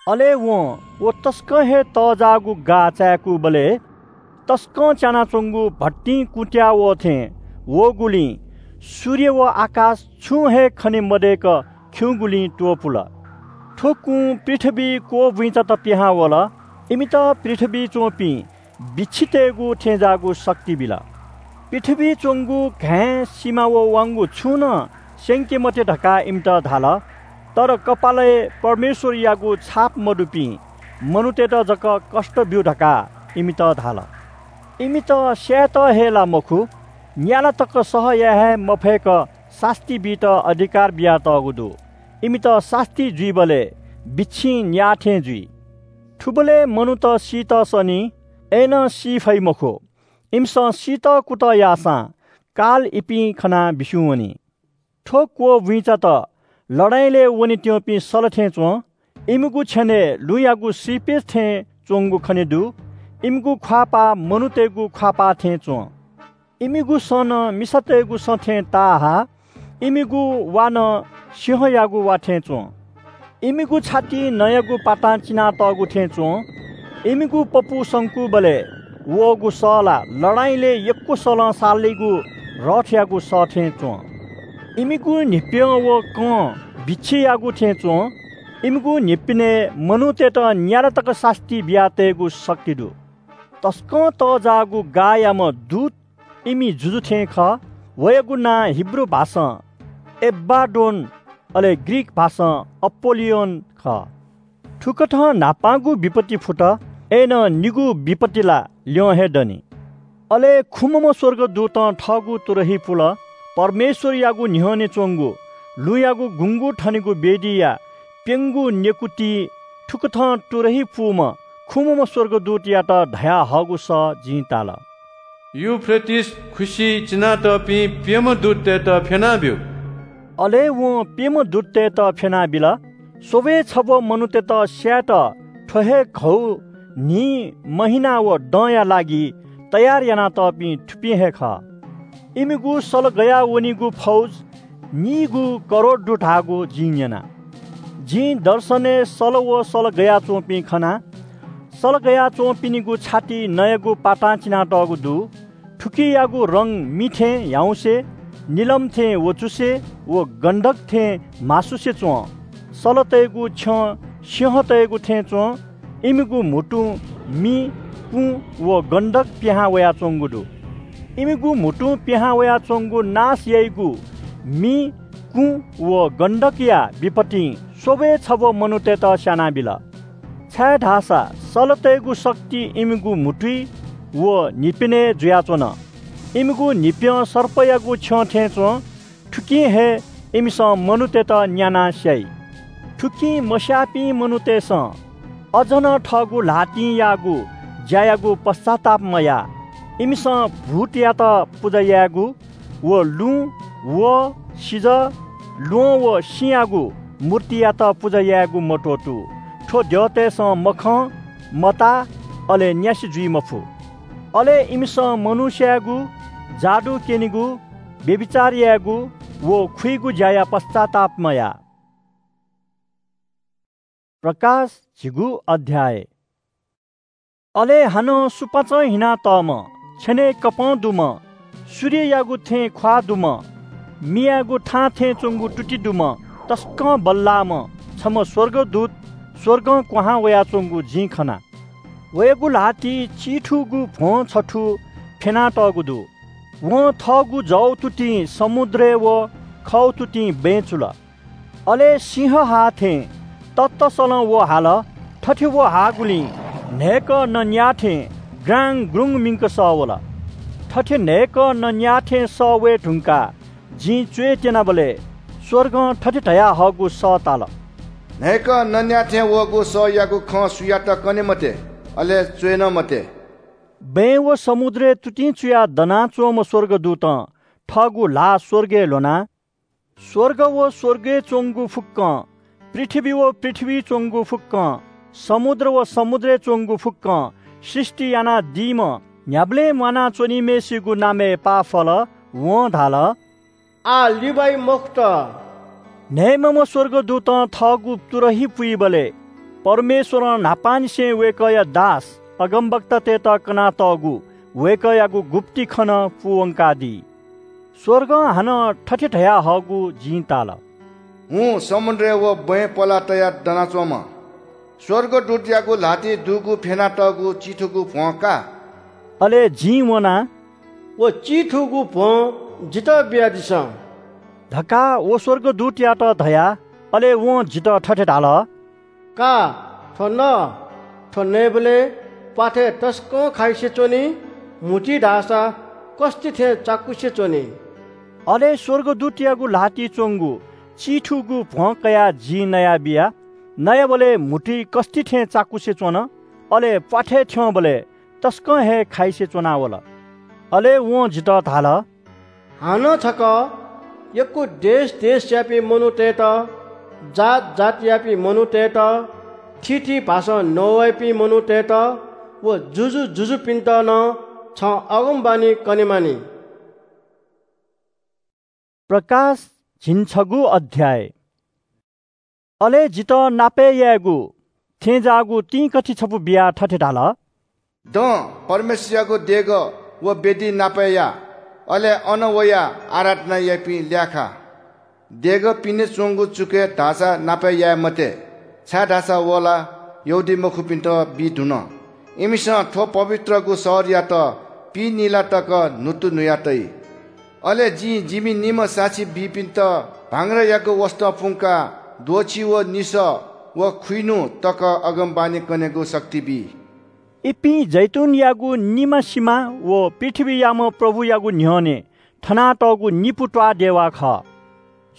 अले वं व तसकं हे तःजाःगु गाः चाय्‌कूबलय् तसकं च्यानाच्‍वंगु भट्टिं कुँत्‍याः वः थें वःगुलिं सूर्य व आकाश छुं हे खने मदय्‌क खिउँगुलिं त्‍वपुल। थ्‍व कुं पृथ्‍वीइ क्‍वःबुइँचात पिहां वल। इमित पृथ्‍वीइ च्‍वंपिं बिच्छितय्‌गु थेंजाःगु शक्ति बिल। पृथ्‍वीइ च्‍वंगु घाँय्, सिमा व वाउँगु छुं नं स्‍यंके मते धकाः इमित धाल। तर कपालय् परमेश्‍वरयागु छाप मदुपिं मनूतय्‌त जक कष्‍ट ब्‍यु धकाः इमित धाल। इमित स्‍यायेत हे ला मखु, न्‍याला तक सह याये हे मफय्‌क सास्‍ती बीत अधिकार बियातःगु दु। इमित सास्‍ती जुइबलय् बिच्छिं न्‍याः थें जुइ। थुबलय् मनूत सीत सनी, अय्‌नं सी फइ मखु। इमिसं सीत कुतः याःसां काल इपिं खनाः बिस्युं वनी। थ्‍व क्‍वःबुइँचात लडाइँलय् वनेत्‍यंपिं सल थें च्‍वं। इमिगु छ्यनय् लुँयागु श्रीपेच थें च्‍वंगु खने दु। इमिगु ख्‍वाःपाः मनूतय्‌गु ख्‍वाःपाः थें च्‍वं। इमिगु सँ नं मिसातय्‌गु सँ थें ताःहा, इमिगु वा नं सिंहयागु वा थें च्‍वं। इमिगु छाति नँयागु पातां चिनातःगु थें च्‍वं। इमिगु पपू संकूबलय् वःगु सः ला लडाइँलय् यक्‍व सलं सालीगु रथयागु सः थें च्‍वं। इमिगु न्‍हिप्‍यं व कं बिच्छियागु थें च्‍वं। इमिगु न्‍हिप्‍यनय् मनूतय्‌त न्‍याला तक सास्‍ती बियातयेगु शक्ति दु। तसकं तःजाःगु गाःयाम्‍ह दूत इमि जुजु थें खः। वयागु नां हिब्रू भाषां एबाद्दोन, अले ग्रीक भाषां अपोल्‍लियोन खः। थुकथं न्‍हापांगु विपत्ति फुत, अय्‌नं निगू विपत्ति ला ल्‍यं हे दनि। अले खुम्‍हम्‍ह स्‍वर्गदूतं थःगु तुरही पुल। परमेश्‍वरयागु न्‍ह्यःने च्‍वंगु लुँयागु गुँगू थनेगु वेदीया प्‍यंगू नेकूतिइ थुकथं तुरही पूम्‍ह खुम्‍हम्‍ह स्‍वर्गदूतयात धयाहःगु सः जिं ताल। युफ्रेटिस खुसिइ चिनातःपिं प्‍यम्‍ह दूततय्‌त फ्‍यनाब्‍यु। अले वं प्‍यम्‍ह दूततय्‌त फ्‍यनाबिल। स्‍वब्‍वय् छब्‍व मनूतय्‌त स्‍यायेत थ्‍व हे घौ न्‍हि, महिना व दँया लागि तयार यानातःपिं थुपिं हे खः। इमिगु सल गयाः वनीगु फौज नीगू करोड दु धाःगु जिं न्‍यना। जिं दर्शनय् सल व सल गयाच्‍वंपिं खना। सल गयाच्‍वंपिनिगु छाति नँयागु पातां चिनातःगु दु। थुकियागु रंग मि थें ह्याउँसे, निलम थें वचुसे व गन्धक थें म्‍हासुसे च्‍वं। सलतय्‌गु छ्यं सिंहतय्‌गु थें च्‍वं। इमिगु म्‍हुतुं मि, कुँ व गन्धक पिहां वयाच्‍वंगु दु। इमिगु म्‍हुतुं पिहां वयाच्‍वंगु नाश याइगु मि, कुँ व गन्धकया विपत्तिं स्‍वब्‍वय् छब्‍व मनूतय्‌त स्‍यानाबिल। छाय्‌धाःसा सलतय्‌गु शक्ति इमिगु म्‍हुतुइ व न्‍हिप्‍यनय् जुयाच्‍वन। इमिगु न्‍हिप्‍यं सर्पयागु छ्यं थें च्‍वं। थुकिं हे इमिसं मनूतय्‌त न्‍यानाः स्‍याइ। थुकिं मस्‍याःपिं मनूतय्‌सं अझ नं थःगु ल्‍हातिं याःगु ज्‍यायागु पश्‍चाताप मयाः। इमिसं भूतयात पुजा यायेगु व लुँ, वहः, सिजः, ल्‍वहं व सिँयागु मूर्तियात पुजा यायेगु मत्‍वःतू। थ्‍व द्यःतय्‌सं मखं, मताः, अले न्‍यासि जुइ मफु। अले इमिसं मनू स्‍यायेगु, जादु क्‍यनेगु, व्‍यभिचार यायेगु व खुइगु ज्‍याया पश्‍चाताप मयाः। प्रकाश झिगू अध्‍याय। अले हानं सुपाँचं हिनातःम्‍ह, छ्यनय् कपं दुम्‍ह, सूर्ययागु थें ख्वाः दुम्ह, मियागु थां थें च्वंगु तुति दुम्ह, तसकं बल्लाःम्ह छम्ह स्वर्गदूत स्वर्गं क्वहां वयाच्वंगु जिं खना। वयागु ल्हातिइ चिथुगु भ्वं छथू फ्यनातःगु दु। वं थःगु जव तुतिं समुद्रय् व खव तुतिं बँय् चुल। अले सिंह हाः थें ततसलं व हाल। थथे व हाःगुलिं न्हय्कः नँ न्याः थें ग्राङ ग्रुङ मिंक सः वल। थथे न्हय्कः नँ न्याः थें सः वये धुंकाः जिं च्वय् त्यनाबलय् स्वर्गं थथे धयाहःगु सः ताल। न्हय्कः नँ न्याः थें वःगु सःयागु खँ सुयात कने मते, अले च्वय् नं मते। बँय् व समुद्रय् तुतिं चुयाः दनाच्वंम्ह स्वर्गदूतं थःगु ल्हाः स्वर्गय् ल्ह्वनाः, स्वर्ग व स्वर्गय् च्वंगु फुक्कं, पृथ्वी व पृथ्वीइ च्वंगु फुक्कं, समुद्र व समुद्रय् च्वंगु फुक्कं सृष्टि यानादीम्ह न्ह्याबलें म्वानाच्वनीम्हय्सिगु नामय् पाफल। वं धाल, आः लिबाइ मखुत। न्हय्म्हम्ह स्वर्गदूतं थःगु तुरही पुइबलय् परमेश्वरं न्हापांनिसें वय्कःया दास अगमवक्तातय्त कनातःगु वय्कःयागु गुप्ति खँ नं पूवंकादी। स्वर्गं हानं थथे धयाहःगु जिं ताल। हुँ, समुद्रय् व बँय् पलाः तयाः दनाच्वंम्ह स्वर्गदूतयागु ल्हातिइ दुगु फ्यनातःगु चिथुगु भ्वं का। अले जिं वनाः, व चिथुगु भ्वं जितः बियादिसँ धकाः व स्वर्गदूतयात धया। अले वं जितः थथे धाल, का, थ्व न। थ्व नयेबलय् प्वाथय् तसकं खाइसे च्वनी, म्हुतुइ धाःसा कस्ति थें चाकुसे च्वनी। अले स्वर्गदूतयागु ल्हातिइ च्वंगु चिथुगु भ्वं कयाः जिं नयाबिया। नयाबलय् म्हुतुइ कस्ति थें चाकुसे च्वन, अले प्वाथय् थ्यंबलय् तसकं हे खाइसे च्वनावल। अले वं जितः धाल, हानं छकः यक्व देश देशयापिं मनूतय्त, जात जातियापिं मनूतय्त, थीथी भाषां नवाइपिं मनूतय्त व जुजु जुजुपिन्त नं छं अगमवाणी कनेमानि। प्रकाश झिंछगू अध्याय। अले जितः नापय् यायेगु थेंजाःगु तिंकथि छपु बियाः थथे धाल, दँ, परमेश्वरयागु देगः व वेदी नापय् या, अले अन वयाः आराधना याइपिं ल्याखा। देगः पिने च्वंगु चुकय् धाःसा नापय् याये मते, छाय्धाःसा व ला यहूदीमखुपिन्त बी धुन। इमिसं थ्व पवित्रगु शहरयात पीनिला तक न्हुतु न्हुया तइ। अले जिं जिमि निम्ह साक्षी बीपिन्त भांग्रायागु वसतं पुंकाः द्वःछि व निसः व खुइन्हु तक अगमवाणी कनेगु शक्ति बी। इपिं जैतूनयागु निमा सिमा व पृथ्वीयाम्ह प्रभुयागु न्ह्यःने थनातःगु निपु त्वाःदेवा खः।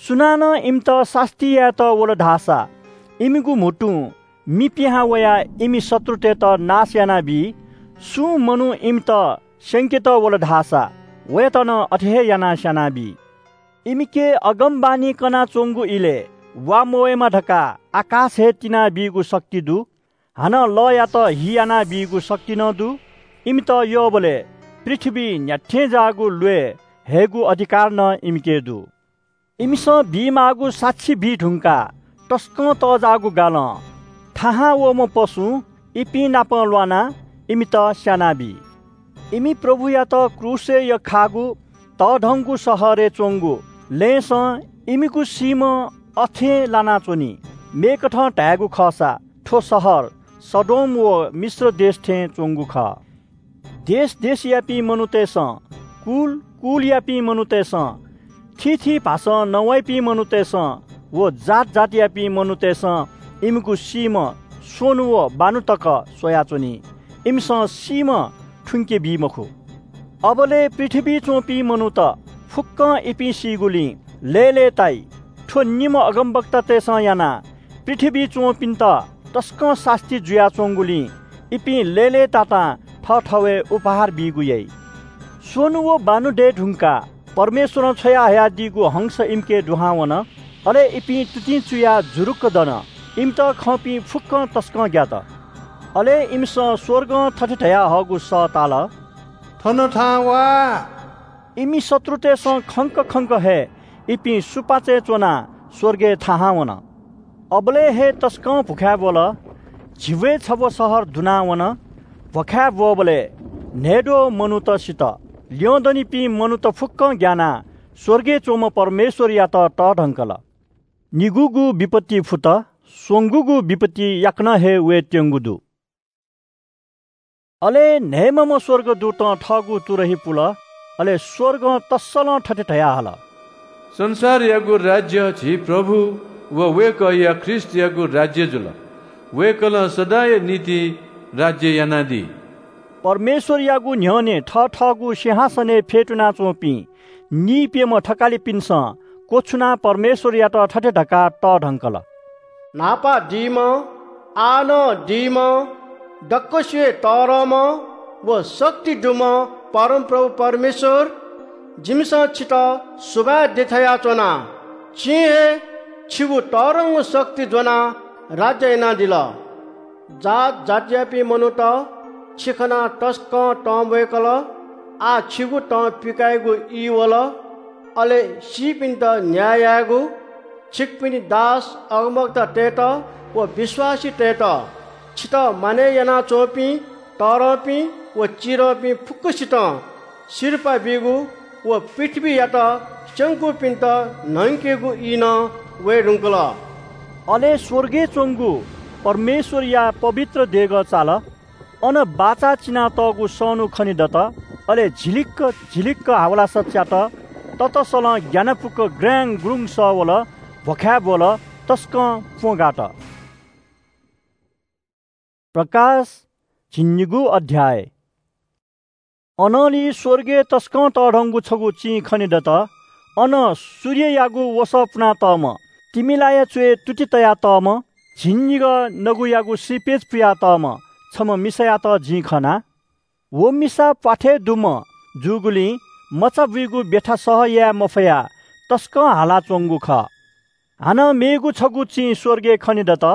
सुनानं इमित सास्ती यायेत वल धाःसा इमिगु म्हुतुं मि पिहां वयाः इमि शत्रुतय्त नाश यानाबी। सुं मनू इमित स्यंकेत वल धाःसा वयात नं अथे हे यानाः स्यानाबी। इमिके अगमवाणी कनाच्वंगु इलय् वा मवयेमा धकाः आकाश हे तिनाबीगु शक्ति दु। हानं लःयात हि यानाबीगु शक्ति नं दु। इमित यःबलय् पृथ्वीइ न्ह्याथें जाःगु ल्वय् हयेगु अधिकार नं इमिके दु। इमिसं बीमाःगु साक्षी बी धुंकाः तसकं तःजाःगु गालं थाहां वःम्ह पशुं इपिं नाप ल्वानाः इमित स्यानाबी। इमि प्रभुयात क्रूसय् यख्खाःगु तःधंगु शहरय् च्वंगु लँय्सं इमिगु सीम्ह अथें लानाच्वनी। मेकथं धायेगु खःसा थ्व शहर सदोम व मिश्र देश थें च्वंगु खः। देश देशयापिं मनूतय्सं, कुल कुलयापिं मनूतय्सं, थीथी भाषां नवाइपिं मनूतय्सं व जात जातियापिं मनूतय्सं इमिगु सीम्ह स्वन्हु व बान्हु तक स्वयाच्वनी। इमिसं सीम्ह थुंके बी मखु। अबलय् पृथ्वीइ च्वंपिं मनूत फुक्कं इपिं सीगुलिं लय्‌लय्‌ताइ। थ्व निम्ह अगमवक्तातय्सं यानाः पृथ्वीइ च्वंपिन्त तसकं सास्ती जुयाच्वंगुलिं इपिं लय्‌लय्‌तातां थःथवय् उपहार बीगु याइ। स्वन्हु व बान्हु दये धुंकाः परमेश्वरं छ्वयाहयादीगु हंस इमिके दुहां वन। अले इपिं तुतिं चुयाः जुरुक्क दन। इमित खंपिं फुक्कं तसकं ग्यात। अले इमिसं स्वर्गं थथे धयाहःगु सः ताल, थन थाहां वा। इमि शत्रुतय्सं खंक खंक हे इपिं सुपाँचय् च्वनाः स्वर्गय् थाहां वन। अबलय् हे तसकं भुखाय् ब्वल। झिब्वय् छब्व शहर दुनाः वन। भ्वखाय् ब्वःबलय् न्हय्द्वः मनूत सित। ल्यं दनिपिं मनूत फुक्कं ग्यानाः स्वर्गय् च्वंम्ह परमेश्वरयात तःधंकल। निगूगु विपत्ति फुत, स्वंगूगु विपत्ति याकनं हे वयेत्यंगु दु। अले न्हय्‌म्हम्ह स्वर्गदूतं थःगु तुरही पुल। अले स्वर्गं तस्सलं थथे धयाहल, संसारयागु राज्य झी प्रभु व वय्‌कःया ख्रीष्टयागु राज्य जुल। वय्‌कलं सदांया निंतिं राज्य यानादी। परमेश्वरयागु न्ह्यःने थथःगु सिंहासनय् फ्यतुनाच्वंपिं नीप्यम्ह थकालिपिन्सं क्वछुनाः परमेश्वरयात थथे धकाः तःधंकल, न्हापां दीम्ह, आः नं दीम्ह, दक्वसिबय् तःधंम्ह व शक्ति दुम्ह परमप्रभु परमेश्वर, जिमिसं छितः सुभाय् देछानाच्वना। छिं हे छिगु तःधंगु शक्ति ज्वनाः राज्य यानादिल। जात जातियापिं मनूत, छि खनाः तसकं तं वय्‌कल। आः छिगु तं पिकायेगु ई वल। अले सीपिन्त न्याय यायेगु, छिकपिनि दास अगमवक्तातय्‌त व विश्वासीतय्‌त, छितः मानय् यानाच्वंपिं तःधंपिं व चिधंपिं फुक्कसितं सिरपाः बीगु व पृथ्वीयात स्यंकूपिन्त न्हंकेगु ई नं वये धुंकल। अले स्वर्गय् च्वंगु परमेश्वरया पवित्र देगः चाल। अन बाचा चिनातःगु सःनु खनेदत। अले झिलिक्क झिलिक्क हावलासा च्यात। ततसलं ग्यानापुक ग्राङ्‌गुरुङ सः वल, भ्वखाय् ब्वल, तसकं प्वँ गात। प्रकाश, झिंनिगू अध्याय। अनंलि स्वर्गय् तसकं तःधंगु छगू चिं खनेदत। अन सूर्ययागु वसः पुनातःम्ह, तिमिलाया च्वय् तुति तयातःम्ह, झिंनिगः नगुयागु श्रीपेच पुयातःम्ह छम्ह मिसायात जिं खना। व मिसा प्वाथय् दुम्ह जूगुलिं मचा बुइगु ब्यथा सह याये मफयाः तसकं हालाच्वंगु खः। हानं मेगु छगू चिं स्वर्गय् खनेदत।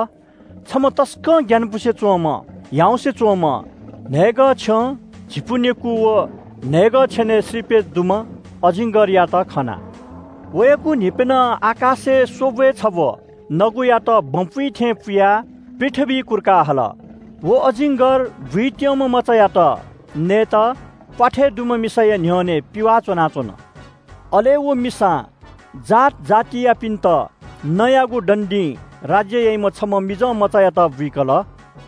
छम्ह तसकं ग्यानापुसे च्वंम्ह, ह्याउँसे च्वंम्ह, न्हय्‌गः छ्यं, झिपु नेकू व न्हय्‌गः छ्यनय् श्रीपेच दुम्ह अजिङ्गरयात खना। वयागु न्हिप्यनं आकाशय् स्वब्वय् छब्व नगुयात बँ पुइ थें पुयाः पृथ्वीइ कुर्का हल। व अजिङ्गर बुइत्यंम्ह मचायात नयेत प्वाथय् दुम्ह मिसाया न्ह्यःने पिवाः च्वनाच्वन। अले व मिसां जात जातियापिन्त नँयागु दण्डिं राज्य याइम्ह छम्ह मिजं मचायात बुइकल।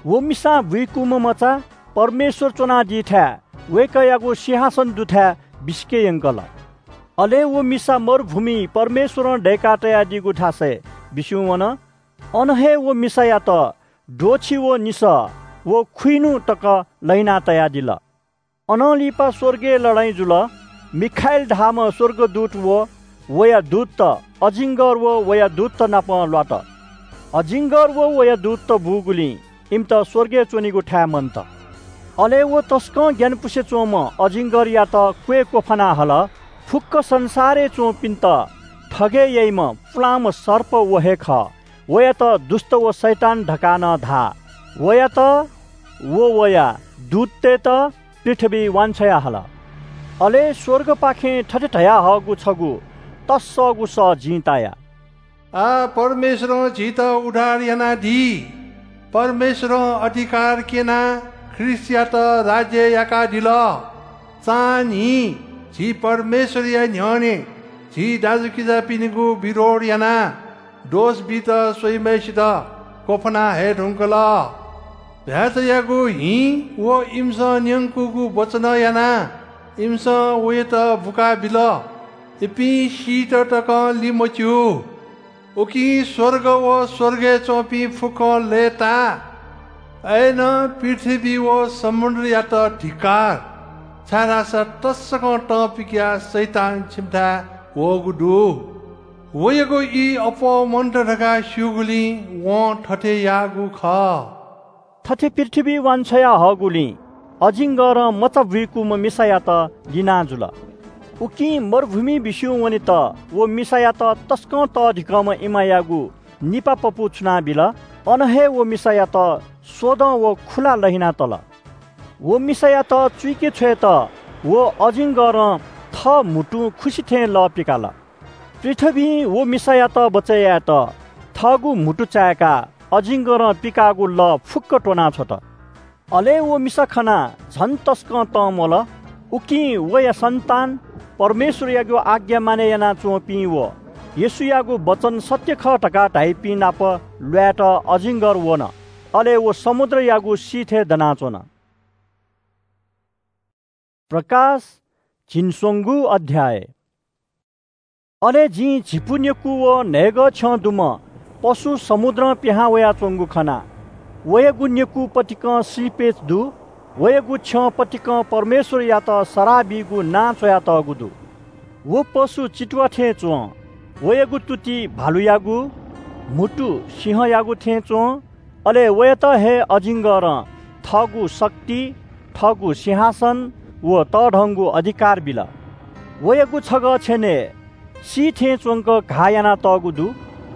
व मिसां बुइकूम्ह मचा परमेश्वर च्वनादीथाय् वय्‌कःयागु सिंहासन दुथाय् बिसिके यंकल। अले व मिसा मरुभूमिइ परमेश्वरं दय्‌का तयादीगु थासय् बिस्युं वन। अन हे व मिसायात द्वःछि व निसः व खुइन्हु तक लहिना तयादिल। अनं लिपा स्वर्गय् लडाइँ जुल। मिखाएल धाःम्ह स्वर्गदूत व वया दूतत अजिङ्गर व वया दूतत नाप ल्वात। अजिङ्गर व वया दूतत बूगुलिं इमित स्वर्गय् च्वनेगु थाय् मन्त। अले व तसकं ग्यानापुसे च्वंम्ह अजिङ्गरयात क्वय् क्वफाना हल। फुक्क संसारय् च्वंपिन्त थगय् याइम्ह पुलांम्ह सर्प व हे खः। वयात दुष्ट व शैतान धकाः नं धाः। वयात व वया दूततय्‌त पृथ्वीइ वांछ्वया हल। अले स्वर्गपाखें थथे धयाहःगु छगू तस्सःगु सः जिं ताया। आः परमेश्वरं झीत उद्धार यानादी। परमेश्वरं अधिकार क्यनाः ख्रीष्टयात राज्य याकादिल। चान्हि झी परमेश्वरया न्ह्यःने झी दाजुकिजापिनिगु विरोध यानाः दोष बीत स्वइम्हय्‌सित क्वफाना हये धुंकल। भ्याचायागु हिं व इमिसं न्यंकूगु वचनं यानाः इमिसं वयात बुकाबिल। इपिं सीत तकं लिमच्यू। उकिं स्वर्ग व स्वर्गय् च्वंपिं फुक्कं लय्‌ताः। अय्‌नं पृथ्वी व समुद्रयात धिक्कार, छाय्‌धाःसा तसकं तं पिकयाः शैतान छिमिथाय् वःगु दु। वयागु ई अप्वः मन्त धकाः स्यूगुलिं वं थथे याःगु खः। थथे पृथ्वीइ वांछ्वया हःगुलिं अजिङ्गरं मचा बुइकूम्ह मिसायात लिना जुल। उकिं मरुभूमिइ बिस्युं वनेत व मिसायात तसकं तःधिकःम्ह इमायागु निपा पपू छुनाबिल। अन हे व मिसायात स्वदँ व खुला लहिना तल। व मिसायात चुइके छ्वयेत व अजिङ्गरं थः म्हुतुं खुसि थें लः पिकाल। पृथ्वीं व मिसायात बचय् यायेत थःगु म्हुतु चाय्‌काः अजिङ्गरं पिकाःगु लः फुक्क त्वनाछ्वत। अले व मिसा खनाः झन तसकं तं म्वल। उकिं वया सन्तान, परमेश्वरयागु आज्ञा मानय् यानाच्वंपिं व येशूयागु वचन सत्य खः धकाः धाइपिं नाप ल्वायेत अजिङ्गर वन। अले व समुद्रयागु सिथय् दनाच्वन। प्रकाश, झिंस्वंगू अध्याय। अले जिं झिपु नेकू व न्हय्गः छ्यं दुम्ह पशु समुद्रं पिहां वयाच्वंगु खना। वयागु नेकू पतिकं श्रीपेच दु। वयागु छ्यं पतिकं परमेश्वरयात सराः बीगु नां च्वयातःगु दु। व पशु चितुवा थें च्वं। वयागु तुति भालुयागु, म्हुतु सिंहयागु थें च्वं। अले वयात हे अजिङ्गरं थःगु शक्ति, थःगु सिंहासन व तःधंगु अधिकार बिल। वयागु छगः छ्यनय् सी थें च्वंक घाः यानातःगु दु।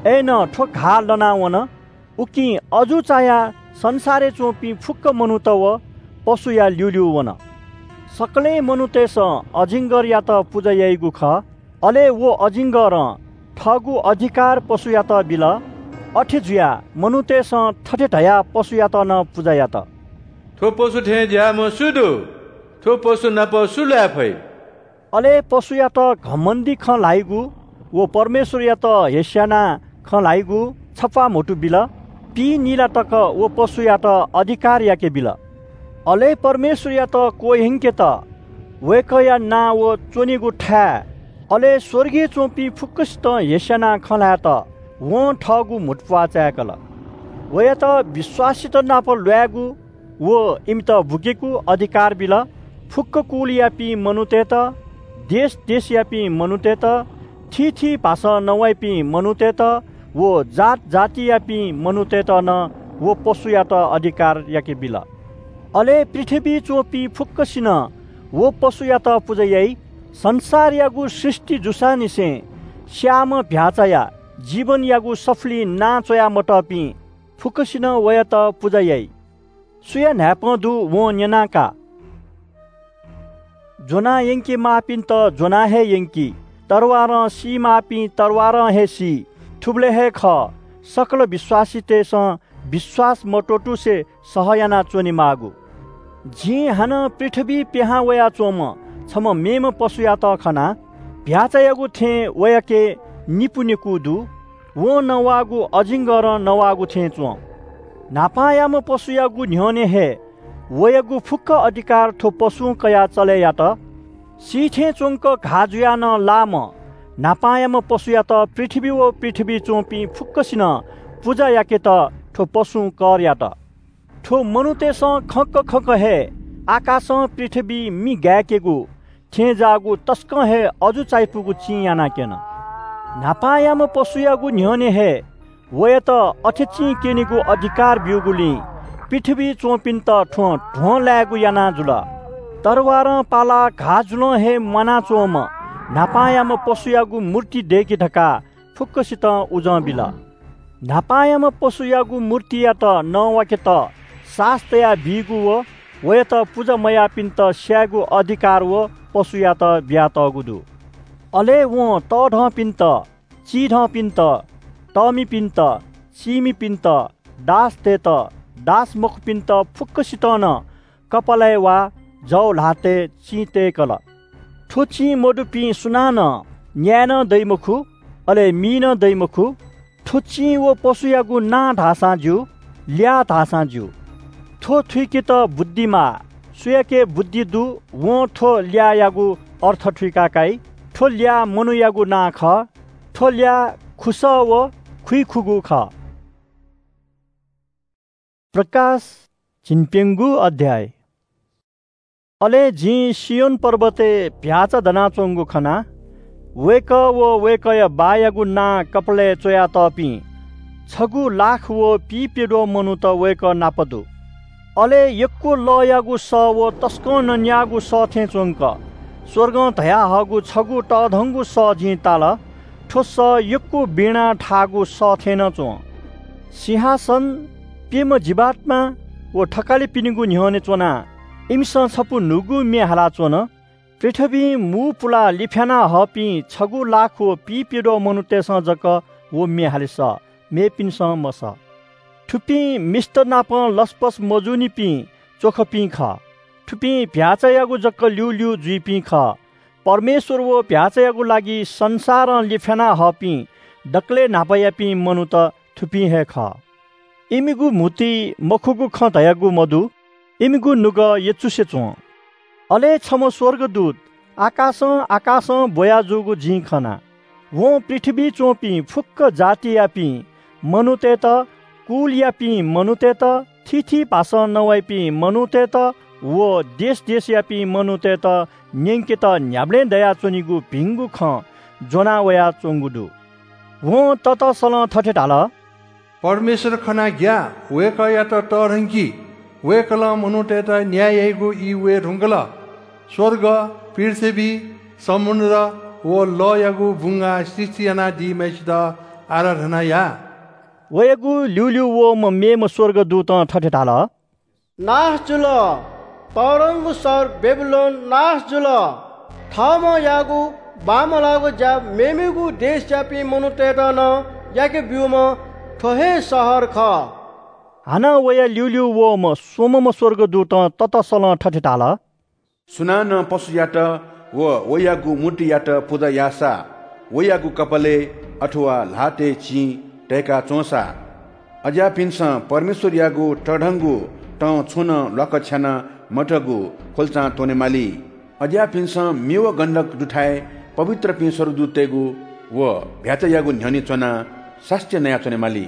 अय्‌नं थ्व घाः लनावन। उकिं अजू चायाः संसारय् च्वंपिं फुक्क मनूत व पशुया ल्यूल्यू वन। सकलें मनूतय्‌सं अजिङ्गरयात पुजा याइगु खः। अले व अजिङ्गरं थःगु अधिकार पशुयात बिल। अथे जुयाः मनूतय्‌सं थथे धयाः पशुयात नं पुजा यात, "थ्व पशु थें ज्याःम्ह सु दु? थ्व पशु नाप सु ल्वाये फइ?" अले पशुयात घमण्डी खँ ल्हाइगु व परमेश्वरयात हेस्यानाः खँ ल्हाइगु छप्वाः म्हुतु बिल। पीनिला तक व पशुयात अधिकार याके बिल। अले परमेश्वरयात क्वह्यंकेत वय्‌कःया नां व च्वनीगु थाय्, अले स्वर्गय् च्वंपिं फुक्कसितं हेस्यानाः खँ ल्हायेत वं थःगु म्हुतुप्वाः चाय्‌कल। वयात विश्वासीत नाप ल्वायेगु व इमित बुकेगु अधिकार बिल। फुक्क कुलयापिं मनूतय्‌त, देश देशयापिं मनूतय्‌त, थीथी भाषां नवाइपिं मनूतय्‌त व जात जातियापिं मनूतय्‌त नं व पशुयात अधिकार याके बिल। अले पृथ्वीइ च्वंपिं फुक्कसिनं व पशुयात पुजा याइ। संसारयागु सृष्टि जूसांनिसें स्याःम्ह भ्याःचाया जीवनयागु सफुलिइ नां च्वया मतःपिं फुक्कसिनं वयात पुजा याइ। सुया न्हाय्पं दु, वं न्यना का। ज्वनाः यंकेमाःपिन्त ज्वनाः हे यंकी, तरवारं सीमाःपिं तरवारं हे सी। थुबलय् हे खः, सकल विश्वासीतय्‌सं विश्वास मत्वःतुसे सह यानाः च्वनेमाःगु। जिं हानं पृथ्वीइ पिहां वयाच्वंम्ह छम्ह मेम्ह पशुयात खना। भ्याःचायागु थें वयाके निपु नेकू दु। वं नवाःगु अजिङ्गरं नवाःगु थें च्वं। न्हापांयाम्ह पशुयागु न्ह्यःने हे वयागु फुक्क अधिकार थ्व पशुं कयाः चले यात। सी थें च्वंक घाः जुयाः नं लाःम्ह न्हापांयाम्ह पशुयात पृथ्वी व पृथ्वीइ च्वंपिं फुक्कसिनं पुजा याकेत थ्व पशुं कर यात। थ्व मनूतय्‌सं खंक खंक हे आकाशं पृथ्वीइ मि गाय्‌केगु थें जाःगु तसकं हे अजू चायापुगु चिं यानाक्यन। न्हापांयाम्ह पशुयागु न्ह्यःने हे वयात अथे चिं क्यनेगु अधिकार ब्यूगुलिं पृथ्वीइ च्वंपिन्त थ्वं ध्वं लायेगु याना जुल। तरवारं पालाः घाः जुलं हे म्वानाच्वंम्ह न्हापांयाम्ह पशुयागु मूर्ति दय्‌के धकाः फुक्कसितं उजं बिल। न्हापांयाम्ह पशुयागु मूर्तियात नवाकेत सास तया बीगु व वयात पुजा मयाःपिन्त स्यायेगु अधिकार व पशुयात बियातःगु दु। अले वं तःधंपिन्त, चिधंपिन्त, तःमिपिन्त, चीमिपिन्त, दासतय्‌त, दास मखुपिन्त फुक्कसितं नं कपालय् वा जव ल्हातय् चिं तय्‌कल। थ्व चिं मदुपिं सुनानं न्याये नं दइ मखु, अले मी नं दइ मखु। थ्व चिं व पशुयागु नां धाःसां ज्यू, ल्याः धाःसां ज्यू। थ्व थुइकेत बुद्धि माः। सुयाके बुद्धि दु, वं थ्व ल्याःयागु अर्थ थुइका काइ। थ्व ल्याः मनूयागु नां खः। थ्व ल्याः खुसः व खुइखुगू खः। प्रकाश, झिंप्यंगू अध्याय। अले जिं सियोन पर्वतय् भ्याःचा दनाच्वंगु खना। वय्‌कः व वय्‌कःया बाःयागु नां कपालय् च्वयातःपिं छगू लाख व पीप्यद्वः मनूत वय्‌कः नाप दु। अले यक्व लःयागु सः व तसकं नन्याःगु सः थें च्वंक स्वर्गं धयाहःगु छगू तःधंगु सः जिं ताल। थ्व सः यक्व वीणा थाःगु सः थें नं च्वं। सिंहासन, प्यम्ह जीवात्मा व थकालिपिनिगु न्ह्यःने च्वनाः इमिसं छपु न्हूगु म्ये हालाच्वन। पृथ्वीं मू पुलाः लिफ्याना हःपिं छगू लाख व पीप्यद्वः मनूतय्‌सं जक व म्ये हाले सः, मेपिन्सं मसः। थुपिं मिस्त नाप लसपस मजूनिपिं च्वखपिं खः। थुपिं भ्याःचायागु जक ल्यूल्यू जुइपिं खः। परमेश्‍वर व भ्याःचायागु लागि संसारं लिफ्‍याना हःपिं दकलय् न्‍हापायापिं मनूत थुपिं हे खः। इमिगु म्‍हुतुइ मखुगु खँ धयागु मदु, इमिगु नुगः यचुसे च्‍वं। अले छम्‍ह स्‍वर्गदूत आकाशं आकाशं ब्‍वया जूगु जिं खना। वं पृथ्‍वीइ च्‍वंपिं फुक्‍क जातियापिं मनूतय्‌त, कुलयापिं मनूतय्‌त, थीथी भाषां नवाइपिं मनूतय्‌त व देश देशयापिं मनूतय्‌त न्‍यंकेत न्‍ह्याबलें दयाच्‍वनीगु भिंगु खँ ज्‍वना वयाच्‍वंगु दु। वं ततसलं थथे धाल, परमेश्‍वर खनाः ग्‍याः, वय्‌कःयात तःधंकि। वय्‌कलं मनूतय्‌त न्‍याय याइगु ई वये धुंकल। स्‍वर्ग, पृथ्‍वी, समुद्र व लःयागु बुंगाः सृष्‍टि यानादीम्‍हय्‌सित आराधना या। वयागु ल्‍यूल्‍यू वःम्‍ह मेम्‍ह स्‍वर्गदूतं थथे धाल, नाश जुल। तःधंगु शहर बेबिलोन नाश जुल। थःम्‍हं याःगु बांमलाःगु ज्‍या मेमेगु देशयापिं मनूतय्‌त नं याके ब्‍यूम्‍ह थ्‍व हे शहर खः। हानं वया ल्‍यूल्‍यू वःम्‍ह स्‍वम्‍हम्‍ह स्‍वर्गदूतं ततसलं थथे धाल, सुनानं पशुयात व वयागु मूर्तियात पुजा याःसा, वयागु कपालय् अथवा ल्‍हातय् चिं तय्‌का च्‍वंसा, अज्‍याःपिन्‍सं परमेश्‍वरयागु तःधंगु तं छुं नं ल्‍वाकछ्याना मतःगु ख्‍वल्‍चां त्‍वनेमाली। अज्‍याःपिन्‍सं म्‍ये व गन्‍धक दुथाय् पवित्रपिं स्‍वर्गदूततय्‌गु व भ्‍याःचायागु न्‍ह्यःने च्‍वनाः सास्‍ती नयाच्‍वनेमाली।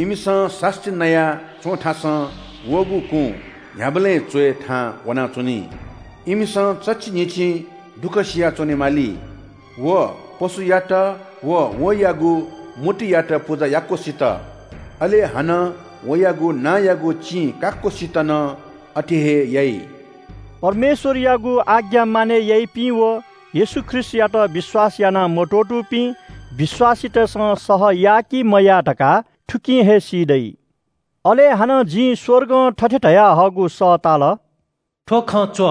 इमिसं सास्‍ती नया च्‍वंथासं वःगु कुँ न्‍ह्याबलें च्‍वय् थाहां वनाच्‍वनी। इमिसं चच्‍छि न्‍हिच्‍छिं दुःख सिया च्‍वनेमाली व पशुयात व वयागु मूर्तियात पुजा याक्‍वसित, अले हानं वयागु नांयागु चिं काक्‍वसित नं अथे हे याइ। परमेश्‍वरयागु आज्ञा मानय् याइपिं व येशू ख्रीष्‍टयात विश्‍वास याना मत्‍वःतूपिं विश्‍वासीतय्‌सं सह याः कि मयाः धकाः थुकिं हे सी दइ। अले हानं जिं स्‍वर्गं थथे धयाहःगु सः ताल, थ्‍व खँ च्‍व,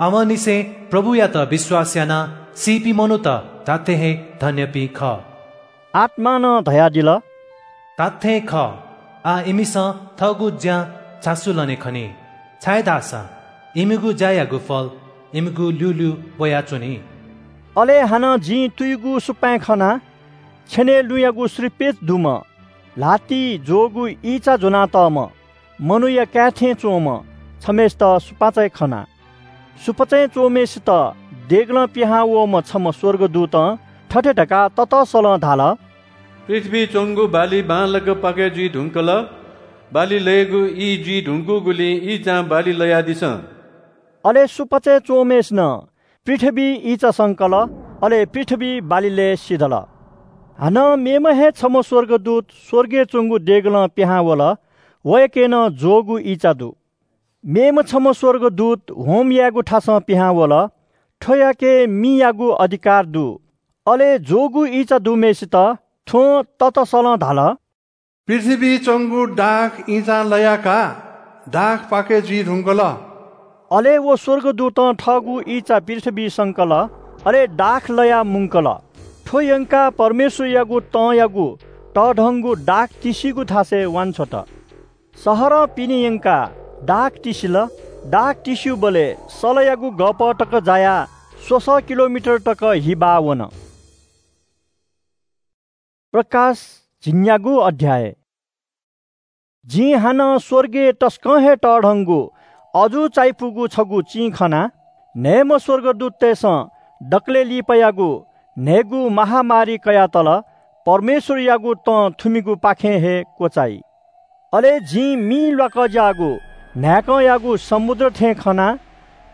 आवंनिसें प्रभुयात विश्‍वास यानाः सीपिं मनूत धात्‍थें हे धन्‍यपिं खः। आत्‍मां नं धयादिल, धात्‍थें खः, आः इमिसं थःगु ज्‍यां झासु लने खनी, छाय्‌धाःसा इमिगु ज्‍यायागु फल इमिगु ल्‍यूल्‍यू ब्‍वयाच्‍वनी। अले हानं जिं तुइगु सुपाँय् खना, छेनय् लुँयागु श्रीपेच दुम्‍ह, ल्‍हातिइ ज्‍वःगु ईंचा ज्‍वनातःम्‍ह, मनूया काय् थें च्‍वंम्‍ह छम्‍हय्‌सित सुपाँचय् खना। सुपाँचय् च्‍वंम्‍हय्‌सित देगलं पिहां वःम्‍ह छम्‍ह स्‍वर्गदूतं थथे धकाः ततसलं धाल, पृथ्‍वीइ च्‍वंगु बाली बांलाक पाकय् जुइ धुंकल। बाली लयेगु ई जुइ धुंकूगुलिं ईंचां बाली लयादिसँ। अले सुपाँचय् च्‍वंम्‍हय्‌सिनं पृथ्‍वीइ ईंचा संकल, अले पृथ्‍वी बाली लय् सिधल। हानं मेम्‍ह हे छम्‍ह स्‍वर्गदूत स्‍वर्गय् च्‍वंगु देगलं पिहां वल। वयाके नं ज्‍वःगु ईंचा दु। मेम्‍ह छम्‍ह स्‍वर्गदूत होम यायेगु थासं पिहां वल। थ्‍वयाके मियागु अधिकार दु। अले ज्‍वःगु ईंचा दुम्‍हय्‌सित थ्‍वं ततसलं धाल, पृथ्‍वीइ च्‍वंगु दाख ईंचां लयाः का, दाख पाकय् जुइ धुंकल। अले व स्‍वर्गदूतं थःगु ईंचा पृथ्‍वीइ संकल, अले दाख लयाः मुंकल। थ्‍व यंकाः परमेश्‍वरयागु तंयागु तःधंगु दाख तिसिगु थासय् वांछ्वत। शहरं पिने यंकाः दाख तिसिल। दाख तिस्‍यूबलय् सलयागु गःपः तक जायाः स्वसः किलोमिटर तक हि बाः वन। प्रकाश झिंन्यागू अध्‍याय। जिं हानं स्‍वर्गय् तसकं हे तःधंगु अजू चायापुगु छगू चिं खना। न्‍हय्‌म्‍ह स्‍वर्गदूततय्‌सं दकलय् लिपायागु न्‍हय्‌गू महामारी कयातल। परमेश्‍वरयागु तं थुमिगुपाखें हे क्‍वचाइ। अले जिं मिं ल्‍वाकज्‍याःगु न्‍हाय्‌कंयागु समुद्र थें खना।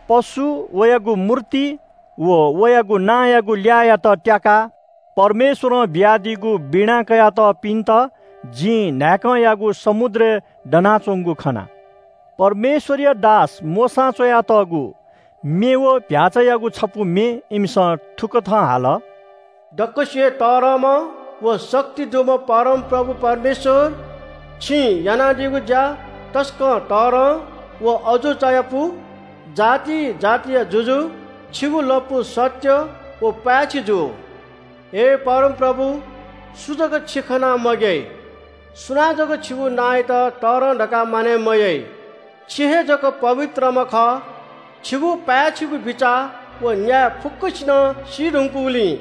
पशु, वयागु मूर्ति व वयागु नांयागु ल्याःयात त्याकाः परमेश्‍वरं बियादीगु वीणा कयातःपिन्‍त जिं न्‍हाय्‌कंयागु समुद्रय् दनाच्‍वंगु खना। परमेश्‍वरया दास मोशां च्‍वयातःगु म्‍ये व भ्‍याःचायागु छपु म्‍ये इमिसं थुकथं हाल। दक्‍वसिबय् तःधंम्‍ह व शक्ति दुम्‍ह परमप्रभु परमेश्‍वर, छिं यानादीगु ज्‍या तसकं तःधं व अजू चायापु। जाति जातिया जुजु, छिगु लँपु सत्‍य व पाय्‌छि जू। हे परमप्रभु, सु जक छि खनाः मग्‍याइ? सुनां जक छिगु नांयात तःधं धकाः मानय् मयाइ? छि हे जक पवित्रम्‍ह खः। छिगु पाय्‌छिगु बिचाः व न्याय फुक्कसिनं सी धुंकूगुलिं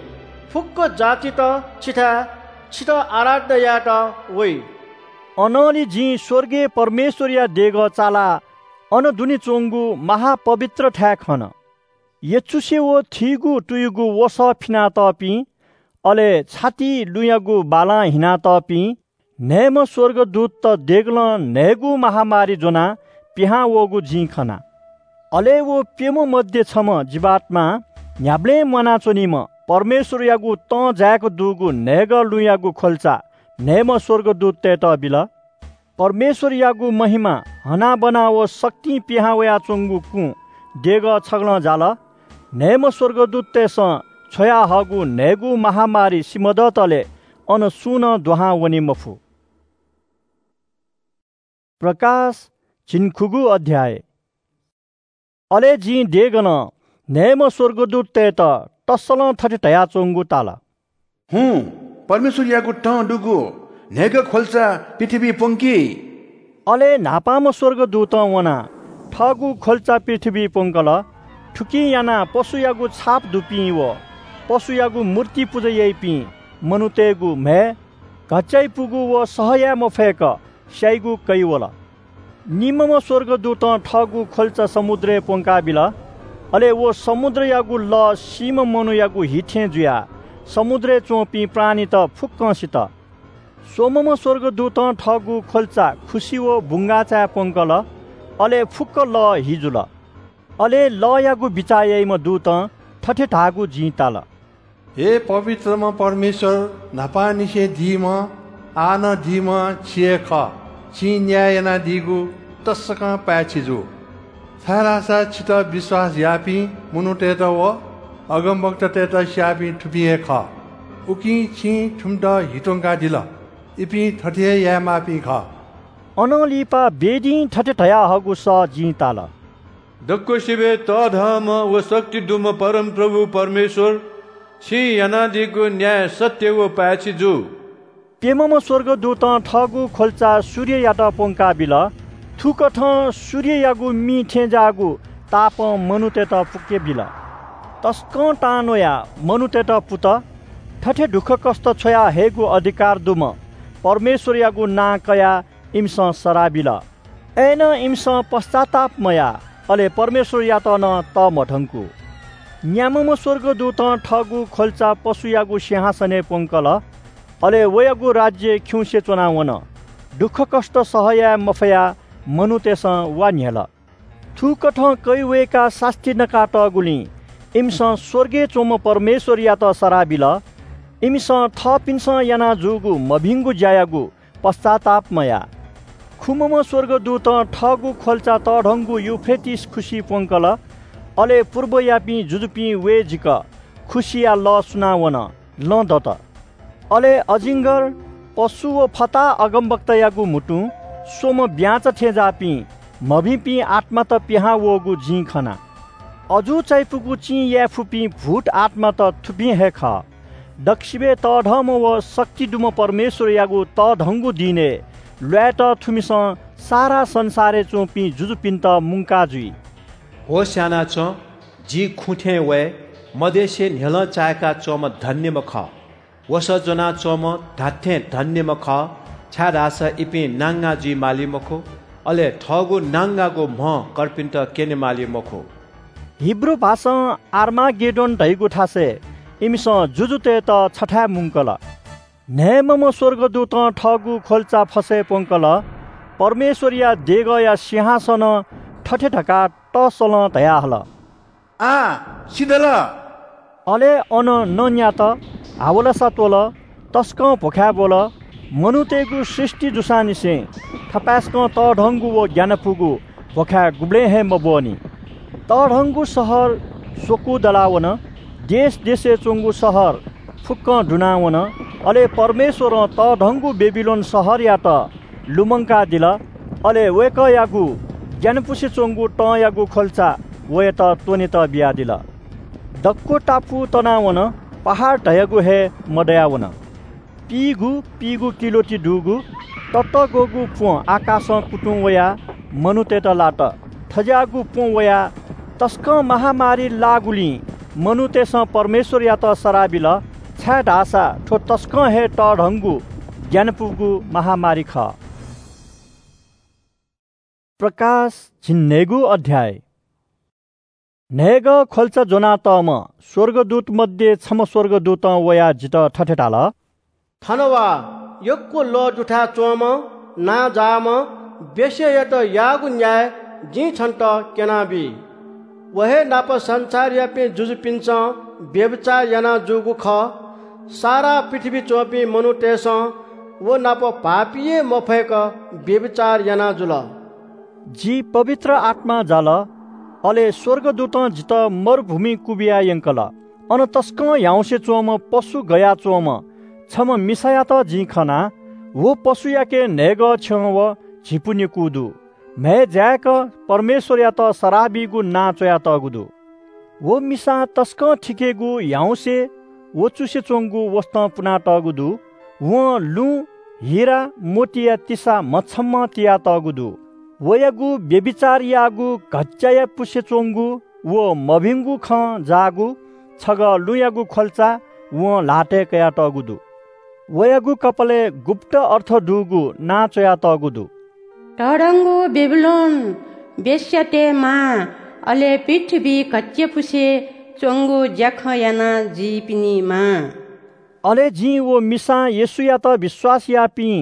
फुक्क जातित छिथाय् छितः आराधना यायेत वइ। अनंलि जिं स्वर्गय् परमेश्वरया देगः चालाः अन दुने च्वंगु महापवित्र थाय् खन। यचुसे व थीगु तुयुगु वसः फिनातःपिं, अले छातिइ लुँयागु बालां हिनातःपिं न्हय्‌म्ह स्वर्गदूतत देगलं न्हय्‌गू महामारी ज्वनाः पिहां वःगु जिं खना। अले व प्यम्ह मध्ये छम्ह जीवात्मां न्ह्याबलें म्वानाच्वनीम्ह परमेश्वरयागु तं जाय्‌क दुगु न्हय्‌गः लुँयागु ख्वल्चा न्हय्‌म्ह स्वर्गदूततय्‌त बिल। परमेश्वरयागु महिमा हनाबना व शक्तिं पिहां वयाच्वंगु कुँ देगः छगलं जाल। न्हय्‌म्ह स्वर्गदूततय्‌सं छ्वयाहःगु न्हय्‌गू महामारी सिमधःतले अन सुं नं दुहां वने मफु। प्रकाश झिंखुगू अध्याय। अले जिं देगलं न्हय्‌म्ह स्वर्गदूततय्‌त तसलं थथे धयाच्वंगु ताल। हुँ, परमेश्वरयागु तं दुगु न्हय्‌गः ख्वल्चा पृथ्वीइ प्वंकि। अले न्हापांम्ह स्वर्गदूतं वनाः थःगु ख्वल्चा पृथ्वीइ प्वंकल। थुकिं यानाः पशुयागु छाप दुपिं व पशुयागु मूर्ति पुजा याइपिं मनूतय्‌गु म्‍हय् घच्‍चाइपुगु व सह याये मफय्‌क स्‍याइगु कइ वल। निम्‍हम्‍ह स्‍वर्गदूतं थःगु ख्‍वल्‍चा समुद्रय् प्‍वंकाबिल। अले व समुद्रयागु लः सीम्‍ह मनूयागु हि थें जुयाः समुद्रय् च्‍वंपिं प्राणीत फुक्‍कं सित। स्‍वम्‍हम्‍ह स्‍वर्गदूतं थःगु ख्‍वल्‍चा खुसि व बुंगाःचाय् प्‍वंकल। अले फुक्‍क लः हि जुल। अले लःयागु बिचाः याइम्‍ह दूतं थथे धाःगु जिं ताल। हे पवित्रम्ह परमेश्‍वर, न्‍हापांनिसें दीम्‍ह, आः नं दीम्‍ह छि हे खः। छिं न्‍याय यानादीगु तसकं पाय्‌छि जू। छाय्‌धाःसा छितः विश्‍वास याःपिं मनूतय्‌त व अगमवक्तातय्‌त स्‍याःपिं थुपिं हे खः। उकिं छिं थुमित हि त्‍वंकादिल। इपिं थथे हे यायेमाःपिं खः। अनं लिपा वेदीं थथे धयाहःगु सः जिं ताल। दक्‍वसिबय् तःधंम्‍ह व शक्ति दुम्‍ह परमप्रभु परमेश्‍वर, छिं यानादीगु न्‍याय सत्‍य व पाय्‌छि जू। प्‍यम्‍हम्‍ह स्‍वर्गदूतं थःगु ख्‍वल्‍चा सूर्ययात प्‍वंकाबिल। थुकथं सूर्ययागु मिं थें जाःगु तापं मनूतय्‌त पुकेबिल। तसकं तां न्‍वयाः मनूतय्‌त पुत। थथे दुःखकष्‍ट छ्वया हयेगु अधिकार दुम्‍ह परमेश्‍वरयागु नां कयाः इमिसं सराः बिल। अय्‌नं इमिसं पश्‍चाताप मयाः, अले परमेश्‍वरयात नं तःमधंकू। न्‍याम्‍हम्‍ह स्‍वर्गदूतं थःगु ख्‍वल्‍चा पशुयागु सिंहासनय् प्‍वंकल। अले वयागु राज्‍य खिउँसे च्‍वनावन। दुःखकष्‍ट सह याये मफयाः मनूतय्‌सं वा न्‍ह्यल। थुकथं कइ वय्‌काः सास्‍ती नकातःगुलिं इमिसं स्‍वर्गय् च्‍वंम्‍ह परमेश्‍वरयात सराः बिल। इमिसं थःपिन्‍सं याना जूगु मभिंगु ज्‍यायागु पश्‍चाताप मयाः। खुम्‍हम्‍ह स्‍वर्गदूतं थःगु ख्‍वल्‍चा तःधंगु युफ्रेटिस खुसिइ प्‍वंकल। अले पूर्वयापिं जुजुपिं वय्‌जिक खुसिया लः सुनावन, लँ दत। अले अजिङ्गर, पशु व फताहा अगमवक्तायागु म्‍हुतुं स्‍वम्‍ह ब्‍यांचा थें जाःपिं मभिंपिं आत्‍मात पिहां वःगु जिं खना। अजू चायापुगु चिं याये फुपिं भूत आत्‍मात थुपिं हे खः। दक्‍वसिबय् तःधंम्‍ह व शक्ति दुम्‍ह परमेश्‍वरयागु तःधंगु दिनय् ल्‍वायेत थुमिसं सारा संसारय् च्‍वंपिं जुजुपिन्‍त मुंका जुइ। होश यानाच्‍वँ, जि खुँ थें वये, मदेसे न्‍ह्यलं चाय्‌का च्‍वंम्‍ह धन्‍यम्‍ह खः। वसः ज्‍वनाच्‍वंम्‍ह धात्‍थें धन्‍यम्‍ह खः, छाय्‌धाःसा इपिं नांगा जुइ माली मखु, अले थःगु नांगागु म्‍ह कर्पिन्‍त क्‍यने माली मखु। हिब्रू भाषां आर्मागेड्डोन धइगु थासय् इमिसं जुजुतय्‌त छथाय् मुंकल। न्‍हय्‌म्‍हम्‍ह स्‍वर्गदूतं थःगु ख्‍वल्‍चा फसय् प्‍वंकल। परमेश्‍वरया देगःया सिंहासनं थथे धकाः तःसलं धयाहल, आः सिधल। अले अन नँ न्‍यात, हावलासा त्‍वल, तसकं भ्‍वखाय् ब्‍वल। मनूतय्‌गु सृष्‍टि जूसांनिसें थपाय्‌सकं तःधंगु व ग्‍यानापुगु भ्‍वखाय् गुबलें हे मब्‍वःनि। तःधंगु शहर स्‍वकू दलावन। देश देशय् च्‍वंगु शहर फुक्‍कं दुनावन। अले परमेश्‍वरं तःधंगु बेबिलोन शहरयात लुमंकादिल। अले वय्‌कःयागु ग्‍यानापुसे च्‍वंगु तंयागु ख्‍वल्‍चा वयात त्‍वनेत बियादिल। दक्‍व टापु तनावन, पहाड धयागु हे मदयावन। पीगु पीगु किलोति दुगु ततःग्‍वःगु प्‍वँ आकाशं कुतुं वयाः मनूतय्‌त लात। थज्‍याःगु प्‍वँ वयाः तसकं महामारी लाःगुलिं मनूतय्‌सं परमेश्वरयात सराः बिल, छाय्‌धाःसा थ्व तसकं हे तःधंगु ग्यानापुगु महामारी खः। प्रकाश झिंन्हय्‌गू अध्याय। न्हय्‌गः ख्वल्चा ज्वनातःम्ह स्वर्गदूत मध्ये छम्ह स्वर्गदूतं वयाः जितः थथे धाल, थन वा, यक्व लः दुथाय् च्वंम्ह नांजाःम्ह वेश्यायात याःगु न्याय जिं छन्त क्यनाबी। व हे नाप संसारयापिं जुजुपिन्सं व्‍यभिचार याना जूगु खः। सारा पृथ्‍वीइ च्‍वंपिं मनूतय्‌सं व नाप भाःपिं हे मफय्‌क व्‍यभिचार याना जुल। जि पवित्र आत्‍मां जाल, अले स्‍वर्गदूतं जितः मरुभूमिइ क्‍वबिया यंकल। अन तसकं ह्याउँसे च्‍वंम्ह पशु गयाच्‍वंम्ह छम्‍ह मिसायात जिं खना। व पशुयाके न्‍हय्‌गः छ्यं व झिपु नेकू दु। म्‍हय् जाय्‌क परमेश्‍वरयात सराः बीगु नां च्‍वयातःगु दु। व मिसां तसकं थिकेगु ह्याउँसे व चुसे च्‍वंगु वसतं पुनातःगु दु। वं लुँ, हिरा, मोतीया तिसा मछम्‍हं तियातःगु दु। वयागु व्‍यभिचार याःगु घच्‍चाया पुसे च्‍वंगु व मभिंगु खँ जाःगु छगः लुँयागु ख्‍वल्‍चा वं ल्‍हातय् कयातःगु दु। वयागु कपालय् गुप्‍त अर्थ दुगु नां च्‍वयातःगु दु। तःधंगु बेबिलोन, वेश्‍यातय् मां, अले पृथ्‍वीइ घच्‍चापुसे च्‍वंगु ज्‍याखँ याना जुइपिनि मां। अले जिं व मिसां येशूयात विश्‍वास याःपिं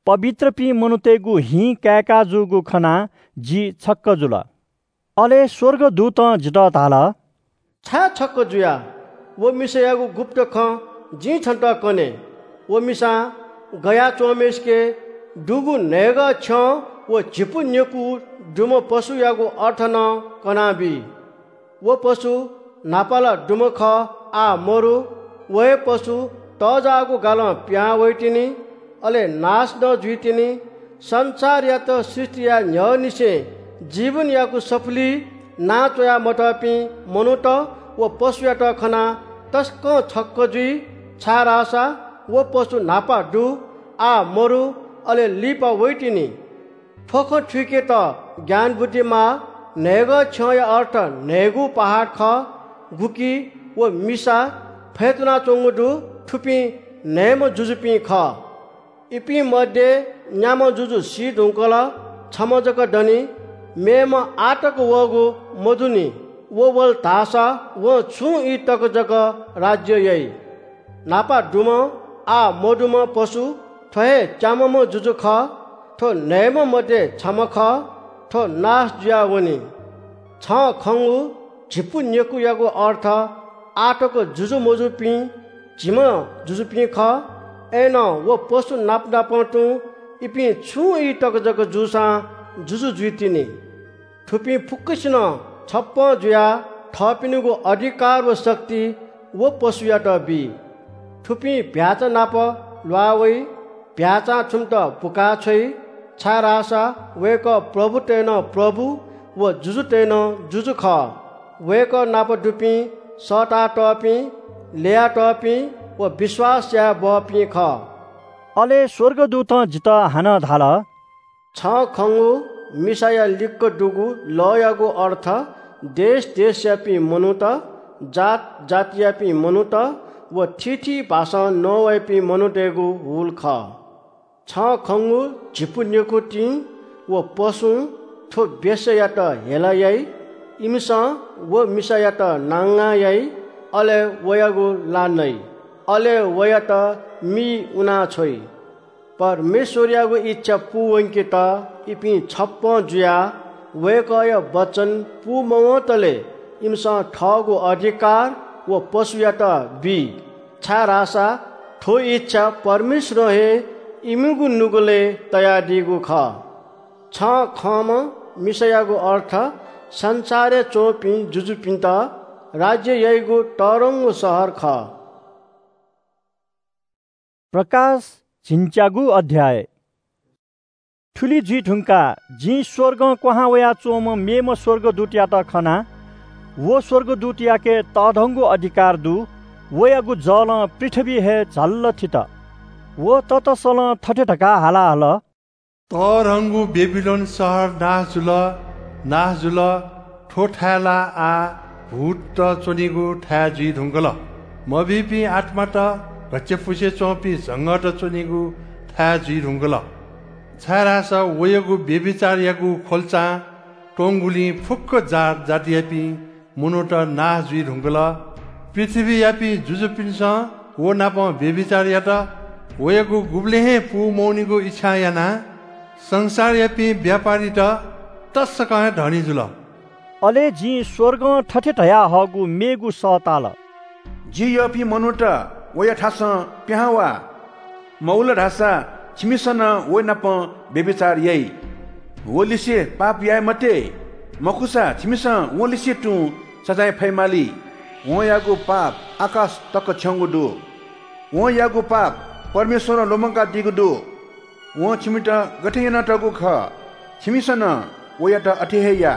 पवित्रपिं मनूतय्‌गु हिं काय्‌का जूगु खनाः जि छक्‍क जुल। अले स्‍वर्गदूतं जितः धाल, छाय् छक्‍क जुया? व मिसायागु गुप्‍त खँ जिं छन्‍त कने। व मिसां गयाच्‍वंम्‍हय्‌सिके दुगु न्‍हय्‌गः छ्यं व झिपु नेकू दुम्‍ह पशुयागु अर्थ नं कनाबी। व पशु न्‍हापा ला दुम्‍ह खः, आः मरु। व हे पशु तःजाःगु गालं पिहां वइतिनि, अले नाश नं जुइतिनि। संसारयात सृष्‍टि याये न्‍ह्यःनिसें जीवनयागु सफुली नां च्‍वया मतःपिं मनूत व पशुयात खनाः तसकं छक्‍क जुइ, छाय्‌धाःसा व पशु न्‍हापा दु, आः मरु, अले लिपा वइतिनि। थ्‍व खँ थुइकेत ज्ञान बुद्धि माः। न्‍हय्‌गः छ्यंया अर्थ न्‍हय्‌गू पहाड खः, गुकी व मिसा फय्‌तुनाच्‍वंगु दु। थुपिं न्‍हय्‌म्‍ह जुजुपिं खः। इपिं मध्ये न्‍याम्‍ह जुजु सी धुंकल, छम्‍ह जक दनि, मेम्‍ह आः तक वःगु मदुनि। व वल धाःसा वं छुं ई तक जक राज्‍य याइ। न्‍हापा दुम्‍ह, आः मदुम्‍ह पशु थ्‍व हे च्याम्‍हम्‍ह जुजु खः। थ्‍व न्‍हय्‌म्‍ह मध्ये छम्‍ह खः। थ्‍व नाश जुयावनी। छं खंगु झिपु नेकूयागु अर्थ आः तक जुजु मजूपिं झिम्‍ह जुजुपिं खः। अय्‌नं व पशु नाप नापं तुं इपिं छुं ई तक जक जूसां जुजु जुइतिनि। थुपिं फुक्‍कसिनं छप्‍पँ जुयाः थःपिनिगु अधिकार व शक्ति व पशुयात बी। थुपिं भ्‍याःचा नाप ल्‍वाः वइ, भ्‍याःचां थुमित बुकाः छ्वइ, छाय्‌धाःसा वय्‌कः प्रभुतय् नं प्रभु व जुजुतय् नं जुजु खः। वय्‌कः नाप दुपिं सःतातःपिं, ल्‍ययातःपिं व विश्‍वास याये बहःपिं खः। अले स्‍वर्गदूतं जितः हानं धाल, छं खंगु मिसाया लिक्‍क दुगु लःयागु अर्थ देश देशयापिं मनूत, जात जातियापिं मनूत व थीथी भाषां नवाइपिं मनूतय्‌गु हुल खः। छं खंगु झिपु नेकूतिं व पशुं थ्‍व वेश्‍यायात हेला याइ। इमिसं व मिसायात नांगां याइ, अले वयागु ला नइ, अले वयात मी उना छ्वइ। परमेश्‍वरयागु इच्‍छा पूवंकेत इपिं छप्‍पँ जुयाः वय्‌कःया वचन पूमवंतले इमिसं थःगु अधिकार व पशुयात बी, छाय्‌धाःसा थ्‍व इच्‍छा परमेश्‍वरं हे इमिगु नुगलय् तयादीगु खः। छं खंम्‍ह मिसायागु अर्थ संसारय् च्‍वंपिं जुजुपिन्‍त राज्‍य याइगु तःधंगु शहर खः। प्रकाश झिंच्यागू अध्‍याय। थुलि जुइ धुंकाः जिं स्‍वर्गं क्‍वहां वयाच्‍वंम्‍ह मेम्‍ह स्‍वर्गदूतयात खना। व स्‍वर्गदूतयाके तःधंगु अधिकार दु। वयागु जलं पृथ्‍वी हे झल्‍ल थित। व ततसलं थथे धकाः हाला हल, तःधंगु बेबिलोन शहर नाश जुल, नाश जुल। थ्व थाय् ला आः भूतत च्वनीगु थाय् जुइ धुंकल। मभिंपिं आत्मात घच्‍चापुसे च्‍वंपिं झंगःत च्‍वनीगु थाय् जुइ धुंकल। छाय्‌धाःसा वयागु व्‍यभिचारयागु ख्‍वल्‍चां त्‍वंगुलिं फुक्‍क जात जातियापिं मनूत नाश जुइ धुंकल। पृथ्‍वीयापिं जुजुपिन्‍सं व नाप व्‍यभिचार यात। वयागु गुबलें हे पू मवनीगु इच्‍छां यानाः संसारयापिं व्‍यापारीत तसकं हे धनी जुल। अले जिं स्‍वर्गं थथे धयाहःगु मेगु सः ताल। जि यःपिं मनूत, वया थासं पिहां वा। मवल धाःसा छिमिसं नं व नाप व्‍यभिचार याइ। व लिसे पाप याये मते, मखुसा छिमिसं वं लिसे तुं सजाँय फयेमाली। वंयागु पाप आकाश तक थ्‍यंगु दु। वंयागु पाप परमेश्‍वरं लुमंकादीगु दु। वं छिमित गथे यानातःगु खः, छिमिसं नं वयात अथे हे या।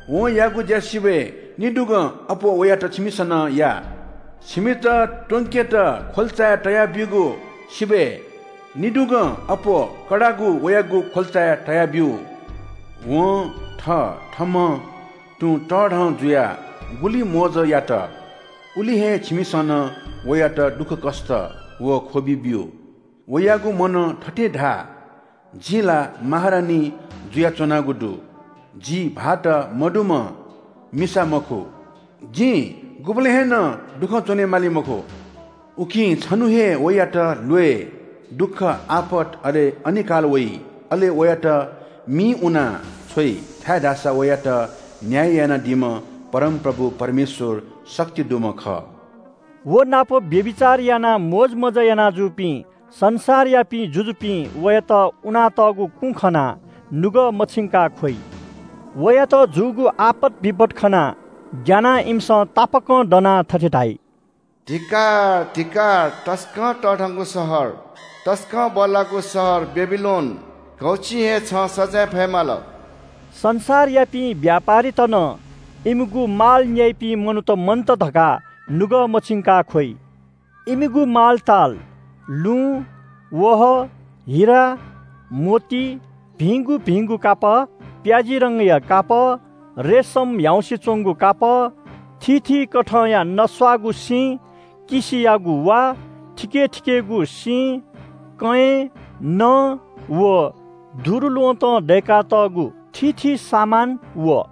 वं याःगु ज्‍या सिबय् निदुगं अप्‍वः वयात छिमिसं नं या। छिमित त्‍वंकेत ख्‍वल्‍चाय् तयाब्‍यूगु सिबय् निदुगं अप्‍वः कडागु वयागु ख्‍वल्‍चाय् तयाब्‍यु। वं थःथम्‍हं तुं तःधं जुयाः गुलि मोजं यात, उलि हे छिमिसं नं वयात दुःखकष्‍ट व ख्‍वबि ब्‍यु। वयागु मनं थथे धाः, जिं ला महारानी जुयाच्‍वनागु दु। जि भाःत मदुम्‍ह मिसा मखु। जिं गुबलें हे नं दुःखं च्‍वनेमाली मखु। उकिं छन्‍हु हे वयात ल्‍वय्, दुःख, आपत, अले अनिकाल वइ। अले वयात मिं उनाः छ्वइ, छाय्‌धाःसा वयात न्‍याय यानादीम्‍ह परमप्रभु परमेश्‍वर शक्ति दुम्‍ह खः। व नाप व्‍यभिचार यानाः मोजमज्‍जा यानाजूपिं संसारयापिं जुजुपिं वयात उनातःगु कुँ खनाः नुगः मछिंकाः ख्‍वइ। वयात जूगु आपत बिपत खनाः ग्‍यानाः इमिसं तापाकं दनाः थथे धाइ – धिक्‍कार, धिक्‍कार, तसकं तःधंगु शहर, तसकं बल्‍लाःगु शहर बेबिलोन, घौछिं हे छं सजाँय फयेमाल। संसारयापिं व्‍यापारीत नं इमिगु माल न्‍याइपिं मनूत मन्‍त धकाः नुगः मछिंकाः ख्‍वइ। इमिगु मालताल लुँ, वहः, हिरा, मोती, भिंगु भिंगु कापः, प्‍याजी रंगया कापः, रेशम ह्याउँसे च्‍वंगु कापः, थीथी कथंया नस्‍वाःगु सिं, किसियागु वा, थिके थिकेगु सिं, कंयेँ, नं व दुरुल्‍वहंतं दय्‌कातःगु थीथी सामान व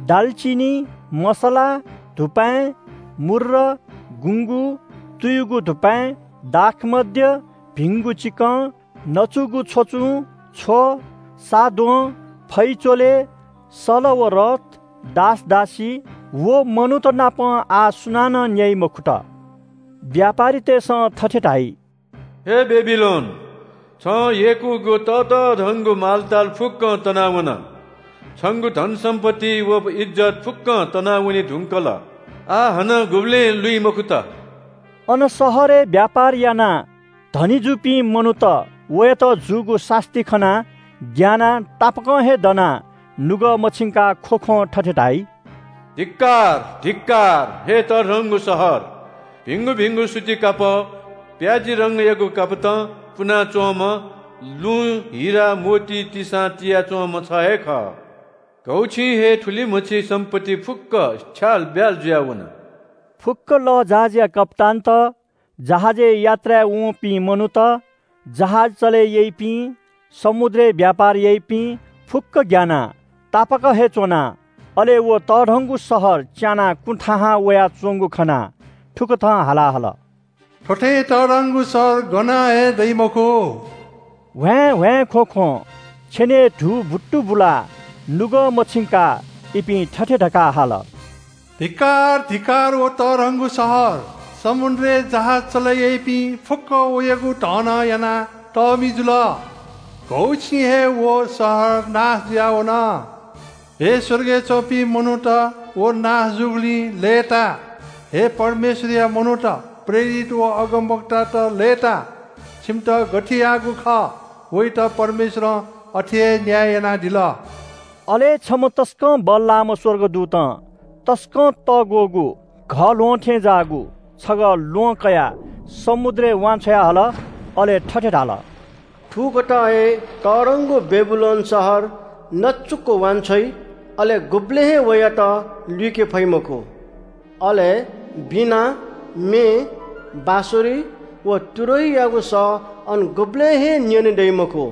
दालचिनी, मसला, धुपाँय्, मुर्र, गुँगू, तुयुगु धुपाँय्, दाखमद्य, भिंगु चिकं, नचुगु छ्वचुं, छ्व, साद्वँ, फैचोले, सल व रथ, दासदासी व मनूत नाप आः सुनानं न्‍याइ मखुत। व्‍यापारीतय्‌सं थथे धाइ – हे बेबिलोन, छं यय्‌कूगु ततःधंगु मालताल फुक्‍कं तनावन। छंगु धनसम्‍पत्ति व इज्‍जत फुक्‍कं तनावने धुंकल। आः हानं गुबलें लुइ मखुत। अन शहरय् व्‍यापार यानाः धनी जूपिं मनूत वयात जूगु सास्‍ती खनाः ग्‍यानाः तापाकं हे दनाः नुगः मछिंकाः ख्‍वख्‍वं थथे धाइ – धिक्‍कार, धिक्‍कार, हे तःधंगु शहर, भिंगु भिंगु सुति कापः, प्‍याजी रंगयागु कापतं पुनाच्‍वंम्‍ह, लुँ, हिरा, मोती तिसां तियाच्‍वंम्‍ह छ हे खः। घौछिं हे थुलिमछि सम्‍पत्ति फुक्‍क छ्यालब्‍याल जुयावन। फुक्‍क लःजहाजया कप्‍तानत, जहाजय् यात्राय् वंपिं मनूत, जहाज चले याइपिं, समुद्रय् व्‍यापार याइपिं फुक्‍क ग्‍यानाः तापाक हे च्‍वनाः, अले व तःधंगु शहर च्यानाः कुथाहां वयाच्‍वंगु खनाः थुकथं हाला हल – थ्‍व थें तःधंगु शहर गनं हे दइ मखु। ह्वाँय् ह्वाँय् ख्‍वख्‍वं छेनय् धू बुत्तु बुलाः नुगः मछिंकाः इपिं थथे धकाः हाल – धिक्‍कार, धिक्‍कार व तःधंगु शहर, समुद्रय् जहाज चले याइपिं फुक्‍क वयागु धनं यानाः तःमि जुल। घौछिं हे व शहर नाश जुयावन। हे स्‍वर्गय् च्‍वंपिं मनूत, व नाश जूगुलिं लय्‌ता। हे परमेश्‍वरया मनूत, प्रेरित व अगमवक्तात लय्‌ता। छिमित गथे याःगु खः, वइत परमेश्‍वरं अथे हे न्‍याय यानादिल। अले छम्‍ह तसकं बल्‍लाःम्‍ह स्‍वर्गदूतं तसकं तःग्‍वःगु घःल्‍वहं थें जाःगु छगः ल्‍वहं कयाः समुद्रय् वांछ्वया हल। अले थथे धाल – थुकथं हे तःधंगु बेबिलोन शहर नचुक्‍क वांछ्वइ। अले गुबलें हे वयात लुइके फइ मखु। अले वीणा, म्ये, बाँसुरी व तुरहीयागु सः अन गुबलें हे न्यने दइ मखु।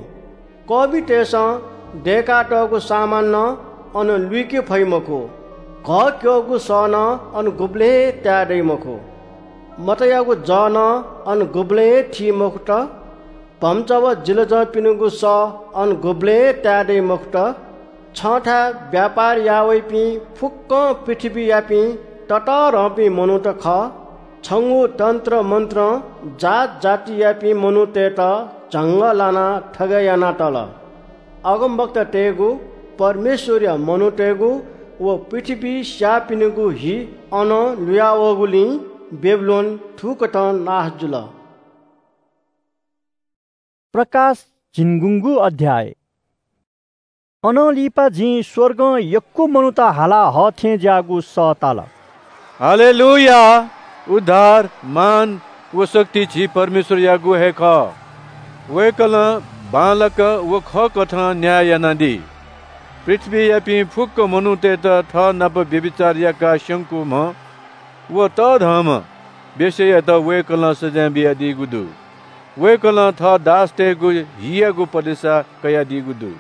कःबितय्‌सं दय्‌कातःगु सामान नं अन लुइके फइ मखु। घः क्यःगु सः नं अन गुबलें हे ताये दइ मखु। मतयागु जः नं अन गुबलें हे थी मखुत। भम्चा व जिलजंपिनिगु सः अन गुबलें हे ताये दइ मखुत। छंथाय् व्यापार याः वइपिं फुक्कं पृथ्वीयापिं ततःधंपिं मनूत खः। छंगु तन्त्र मन्त्रं जात जातियापिं मनूतय्‌त झंगः लानाः थगय् यानातल। अगमवक्तातय्‌गु, परमेश्वरया मनूतय्‌गु व पृथ्वीइ स्याःपिनिगु हि अनं लुयावःगुलिं बेबिलोन थुकथं नाश जुल। प्रकाश झिंगुंगू अध्याय। अनं लिपा जिं स्वर्गं यक्व मनूत हाला हः थें ज्याःगु सः ताल। हालेलुया! उद्धार, मान व शक्ति झी परमेश्वरयागु हे खः। वय्कलं बांलाक व खःकथं न्याय यानादी। पृथ्वीयापिं फुक्क मनूतय्त थः नाप व्‍यभिचार याकाः स्‍यंकूम्‍ह व तःधंम्‍ह वेश्‍यायात वय्कलं सजाँय बियादीगु दु। वय्कलं थः दासतय्गु हियागु पलेसा कयादीगु दु।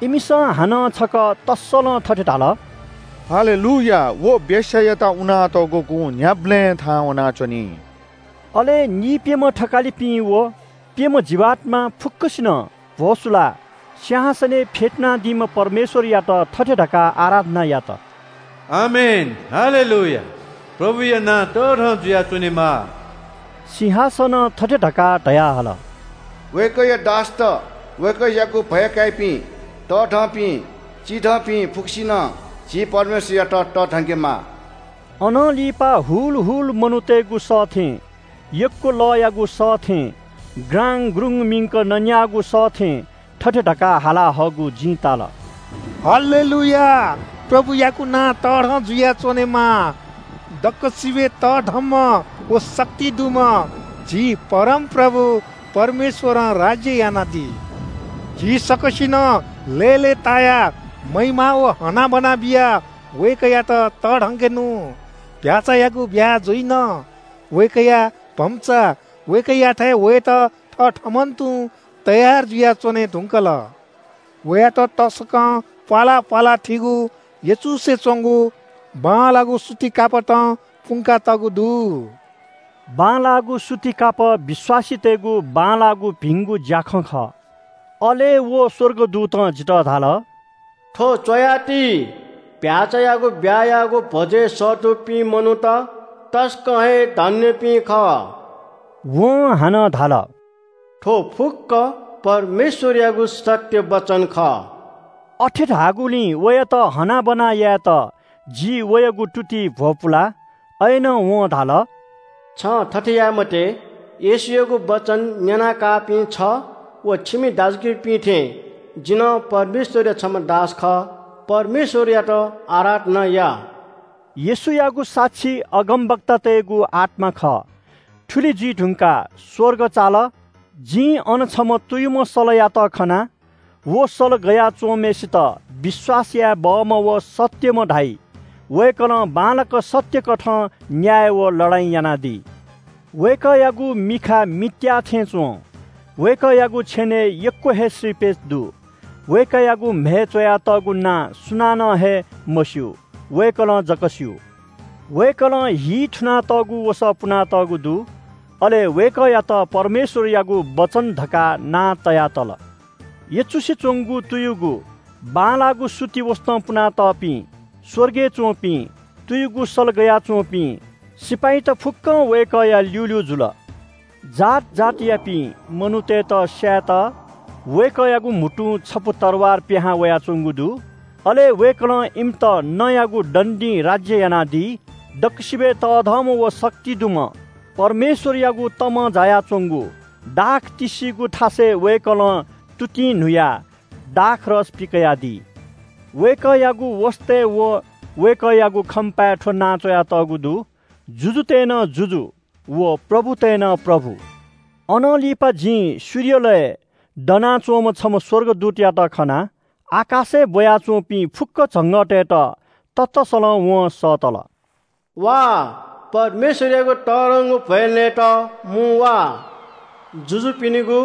इमिसं हानं छकः तस्सलं थथे धाल, हालेलुया, व वेश्‍यायात उनातःगु गुँ न्‍ह्याबलें थाहां वनाच्‍वनी। अले नीप्‍यम्‍ह थकालिपिं व प्‍यम्‍ह जीवात्‍मा फुक्‍कसिनं भ्‍वसुलाः सिंहासनय् फ्‍यतुनादीम्‍ह परमेश्‍वरयात थथे धकाः आराधना यात, आमेन, हालेलुया, प्रभुया नां तःधं जुयाच्‍वनेमा। सिंहासनं थथे धकाः धयाहल, वय्कःया दासत, वय्कःयागु भय काइपिं, तःधंपिं, चिधंपिं फुक्‍कसिनं झी परमेश्‍वरयात तःधंकेमा। अनं लिपा हुल हुल मनूतय्गु सः थें, यक्‍व लःयागु सः थें ग्राङ ग्रुङ मिंक नन्‍याःगु सः थें थथे धकाः हाला हःगु जिं ताल, हालेलुया, प्रभुयागु नां तःधं जुयाच्‍वनेमा। दक्‍वसिबय् तःधंम्‍ह व शक्ति दुम्‍ह झी परमप्रभु परमेश्‍वरं राज्‍य यानादी। झी सकसिनं लय्‌लय्‌तायाः महिमा व हनाबना बियाः वय्कःयात तःधंकेनु। भ्‍याःचायागु ब्‍याहा जुइन। वय्कःया भम्‍चा वय्कःयाथाय् वयेत थःथम्‍हं तुं तयार जुयाच्‍वने धुंकल। वयात तसकं प्‍वाला प्‍वाला थीगु यचुसे च्‍वंगु बांलाःगु सुति कापतं पुंकातःगु दु। बांलाःगु सुति कापः विश्‍वासीतय्गु बांलाःगु भिंगु ज्‍याखँ खः। अले व स्‍वर्गदूतं जितः धाल, थ्‍व च्‍वयाति, भ्‍याःचायागु ब्‍याहायागु भ्‍वजय् सःतूपिं मनूत तसकं हे धन्‍यपिं खः। वं हानं धाल, थ्‍व फुक्‍क परमेश्‍वरयागु सत्‍य वचन खः। अथे धाःगुलिं वयात हनाबना यायेत जि वयागु तुतिइ भ्‍वपुला। अय्‌नं वं धाल, छं थथे याये मते। येशूयागु वचन न्‍यनाकाःपिं छ व छिमि दाजुकिजापिं थें जि नं परमेश्‍वरया छम्‍ह दास खः। परमेश्‍वरयात आराधना या। येशूयागु साक्षी अगमवक्तातय्गु आत्‍मा खः। थुलि जुइ धुंकाः स्‍वर्ग चाल। जिं अन छम्‍ह तुयुम्‍ह सलयात खना। व सल गयाच्‍वंम्‍हय्‌सित विश्‍वास याये बहःम्‍ह व सत्‍यम्‍ह धाइ। वय्‌कलं बांलाक सत्‍यकथं न्‍याय व लडाइँ यानादी। वय्‌कःयागु मिखा मित्‍याः थें च्‍वं। वय्‌कःयागु छेनय् यक्‍व हे श्रीपेच दु। वय्‌कःयागु म्हय् च्‍वयातःगु नां सुनानं हे मस्‍यू, वय्‌कलं जक स्‍यू। वय्‌कलं हि थुनातःगु वसः पुनातःगु दु, अले वय्‌कःयात परमेश्‍वरयागु वचन धकाः नां तयातल। यचुसे च्‍वंगु तुयुगु बांलाःगु सुति वसतं पुनातःपिं स्‍वर्गय् च्‍वंपिं तुयुगु सल गयाच्‍वंपिं सिपाइँत फुक्‍कं वय्‌कःया ल्‍यूल्‍यू जुल। जात जातियापिं मनूतय्‌त स्‍यायेत वय्‌कःयागु म्‍हुतुं छपु तरवार पिहां वयाच्‍वंगु दु। अले वय्‌कलं इमित नँयागु दण्‍डिं राज्‍य यानादी। दक्‍वसिबय् तःधंम्‍ह व शक्ति दुम्‍ह परमेश्‍वरयागु तमं जायाच्‍वंगु दाख तिस्‍सिगु थासय् वय्‌कलं तुतिं न्‍हुयाः दाखरस पिकयादी। वय्‌कःयागु वसतय् व वय्‌कःयागु खम्‍पाय् थ्‍व नां च्‍वयातःगु दु, जुजुतय् नं जुजु व प्रभुतय् नं प्रभु। अनं लिपा जिं सूर्यलय् दनाच्‍वंम्‍ह छम्‍ह स्‍वर्गदूतयात खना। आकाशय् ब्वयाच्वंपिं फुक्क झंगःतय्‌त ततसलं वं सःतल। वा, परमेश्वरयागु तःधंगु भ्‍वय् नयेत मुं वा। जुजुपिनिगु,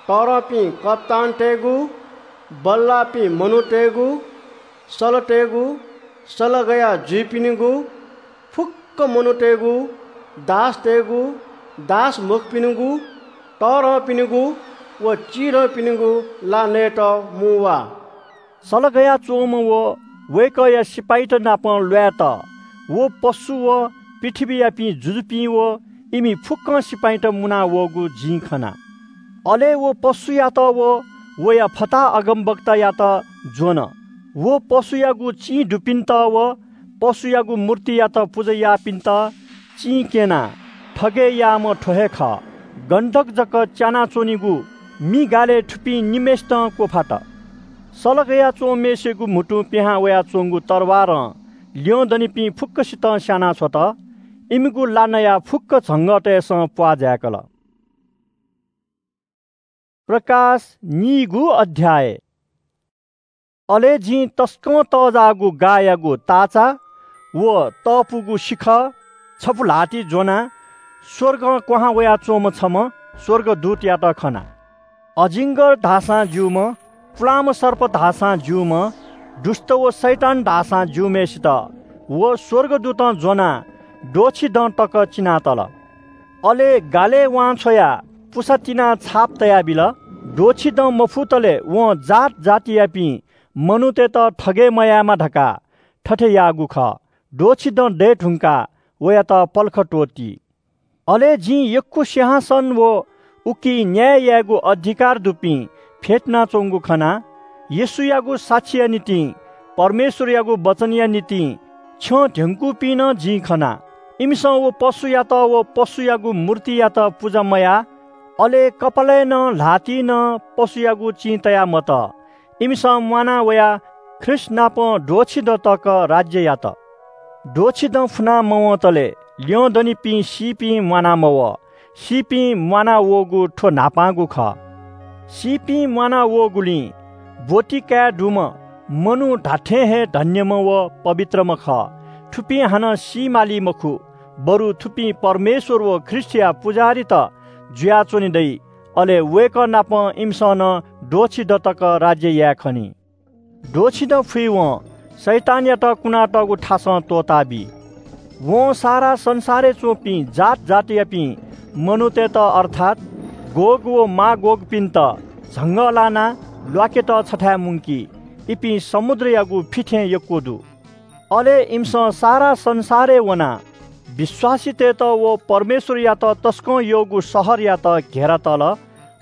तःधंपिं कप्‍तानतय्‌गु, बल्‍लाःपिं मनूतय्‌गु, सलतय्‌गु, सलगया जुइपिनिगु, फुक्क मनूतय्‌गु, दासतय्‌गु, दास मखुपिनिगु, तःधंपिनिगु व चिधंपिनिगु ला नयेत मुं वा। सलगया च्‍वंम्‍ह व वय्‌कःया सिपाइँत नाप ल्‍वायेत व पशु व पृथ्‍वीयापिं जुजुपिं व इमि फुक्‍कं सिपाइँत मुना वःगु जिं खना। अले व पशुयात व वया फताहा अगमवक्तायात ज्‍वन। व पशुयागु चिं दुपिन्‍त व पशुयागु मूर्तियात पुजा याःपिन्‍त चिं क्‍यनाः थगय् याःम्‍ह थ्‍व हे खः। गन्‍धक जक च्यानाच्‍वनीगु मि गालय् थुपिं निम्‍हय्‌सितं क्‍वफात। सलगया च्‍वंम्‍हय्‌सिगु म्‍हुतुं पिहां वयाच्‍वंगु तरवारं ल्‍यं दनिपिं फुक्‍कसितं स्‍यानाछ्वत। इमिगु ला नयाः फुक्‍क झंगःतय्‌सं प्‍वाः जाय्‌कल। प्रकाश नीगु अध्‍याय। अले जिं तसकं तःजाःगु गाःयागु ताःचा व तःपुगु सिखः छपु ल्‍हातिइ ज्‍वनाः स्‍वर्गं क्‍वहां वयाच्‍वंम्‍ह छम्‍ह स्‍वर्गदूतयात खना। अजिङ्गर धाःसां ज्‍यूम्‍ह, पुलांम्‍ह सर्प धाःसां ज्‍यूम्‍ह, दुष्‍ट व शैतान धाःसां ज्‍यूम्‍हय्‌सित व स्‍वर्गदूतं ज्‍वनाः द्वःछि दँ तक चिनातल। अले गालय् वांछ्वयाः पुसा तिनाः छाप तयाबिल। द्वःछि दँ मफुतले वं जात जातियापिं मनूतय्‌त थगय् मयायेमा धकाः थथे याःगु खः। द्वःछि दँ दये धुंकाः वयात पलख त्‍वःती। अले जिं यक्‍व सिंहासन व उकी न्‍याय यायेगु अधिकार दुपिं फ्‍यतुनाच्‍वंगु खना। येशूयागु साक्षीया निंतिं, परमेश्‍वरयागु वचनया निंतिं छ्यं ध्‍यंकूपिं नं जिं खना। इमिसं व पशुयात व पशुयागु मूर्तियात पुजा मयाः, अले कपालय् नं ल्‍हातिइ नं पशुयागु चिं तया मत। इमिसं म्‍वाना वयाः ख्रीष्‍ट नाप द्वःछि दँ तक राज्‍य यात। द्वःछि दँ फुना मवंतले ल्‍यं दनिपिं सीपिं म्‍वाना मवः। सीपिं म्‍वाना वःगु थ्‍व न्‍हापांगु खः। सीपिं म्‍वाना वःगुलिं ब्‍वति काये दुम्‍ह मनू धात्‍थें हे धन्‍यम्‍ह व पवित्रम्‍ह खः। थुपिं हानं सी माली मखु, बरु थुपिं परमेश्‍वर व ख्रीष्‍टया पुजाहारीत जुयाच्‍वने दइ। अले वय्‌कः नाप इमिसं नं द्वःछि दँ तक राज्‍य याये खनी। द्वःछि दँ फुइवं शैतानयात कुनातःगु थासं त्‍वःताबी। वं सारा संसारय् च्‍वंपिं जात जातियापिं मनूतय्‌त, अर्थात् गोग व मागोगपिन्‍त झंगः लानाः ल्‍वाकेत छथाय् मुंकी। इपिं समुद्रयागु फि थें यक्‍व दु। अले इमिसं सारा संसारय् वनाः विश्‍वासीतय्‌त व परमेश्‍वरयात तसकं यःगु शहरयात घेरा तल।